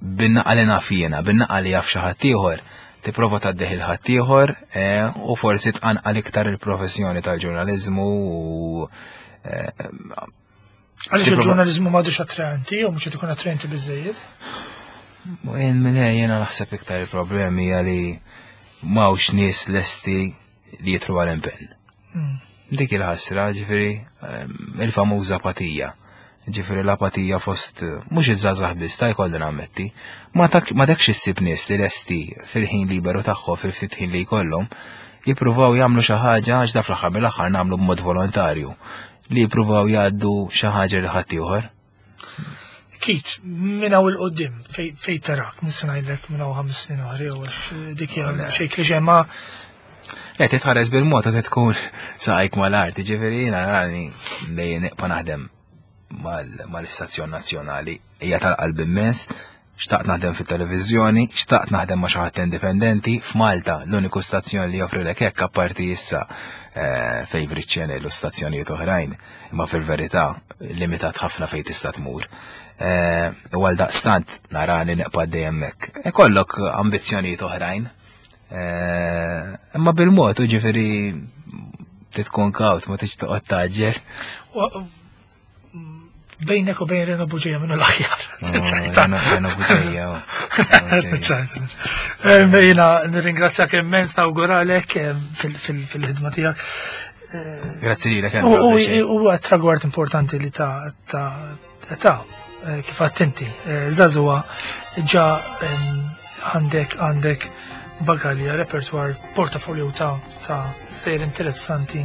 bin-naqra li naf jiena, bin-naqra li jaf xi ħadd ieħor, tipprova tgħaddih lil ħaddieħor eh, u forsi tqanqal iktar il-professjoni tal-ġurnaliżmu u eh, Għaliex Tipprova- il-ġurnaliżmu m'għadux attraenti u mhux qed ikun attraenti biżejjed. Jien minn jiena naħseb iktar il-problemi hija li m'hawnx nies lesti li jidħlu għal impenn. Mm. Dik il-ħasra, ġifieri, ehm, il-famuża apatija. Ġifieri l-apatija fost, mhux iż-żgħażagħ biss, ta' jkolli nammetti, ma tak ma dakx issib nies li lesti fil-ħin liberu tagħhom, fil-ftit ħin li jkollhom, jippruvaw jagħmlu xi ħaġa, għax da fl-aħħar mill-aħħar nagħmlu b'mod volontarju, li jippruvaw jgħaddu xi ħaġa lil ħaddieħor. Keith, minn hawn 'il quddiem, fej fej tarak, nista' ngħidlek minn hawn ħames snin oħra jew għax dik hija xejn klixè ma Le, titħares bil-mod ta' tkun saqajk mal-art, ġifieri jiena rani li nibqa' naħdem mal- mal-istazzjon nazzjonali, hija tal-qalb immens, xtaqt naħdem fit-televiżjoni, xtaqt naħdem ma' xi ħadd indipendenti. F'Malta l-uniku stazzjon li joffrilek hekk, apparti issa eh, Favorite Channel u stazzjonijiet oħrajn, imma fil-verità limitat ħafna fejn tista' tmur. Eh, U għal daqstant narani nibqa' dejjem hekk. Ikollok ambizzjonijiet oħrajn, Eh, Imma bil-mod, u ġifieri titkun kawt, ma tiġ toqgħod taġġel. U- bejnek u bejn Reno Buġeja minnu l-aħjar. Reno Reno Buġeja. ċajta. Jiena nirringrazzjak immens, nawguralek em, fil- fil- fil-ħidma tiegħek. Grazzi lilek. U Andrew, u- biex- u tragward importanti li ta' ta' ta' eh, kif attenti, żagħżugħa ġa em, għandek għandek bagalja, repertoar, portafolio ta' ta' stejjer interessanti.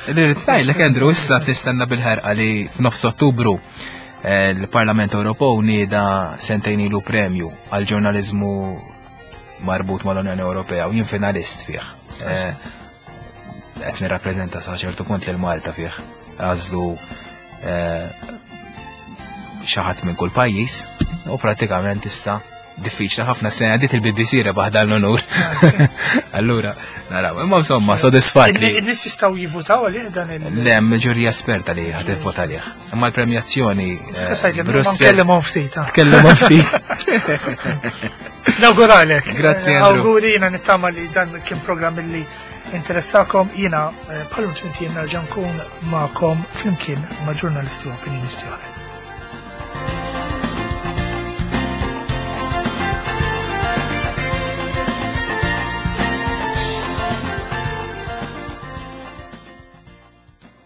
Irrid ngħidlek, Andrew, issa tistenna bil-ħerqa li f'nofs Ottubru eh, l-Parlament Ewropew nieda sentejn ilu premju għal ġurnaliżmu marbut mal-Unjoni Ewropea u jien finalist fih. Eh, Qed nirrappreżenta sa ċertu punt lil Malta fih. Għażlu eh, xi ħadd minn kull pajjiż u pratikament issa diffiċli ħafna, sena dit il-B B C rebaħ dan l-onur. Allura, naraw, imma insomma, sodisfat li. In-nies jistgħu jivvutaw għalih dan il- Le, hemm ġurija esperta li ħad tivvota għalih. Imma l-premjazzjoni eh, Brussel. Brussel. Nkellimhom ftit. ah. Tkellimhom ftit. Nawguralek. Grazzi, Andrew. Awguri, jiena nittama li dan kien programm li interessakom. Jiena eh, bħal tmint ijiem nerġa' nkun magħkom flimkien ma' ġurnalisti u opinjonisti oħra.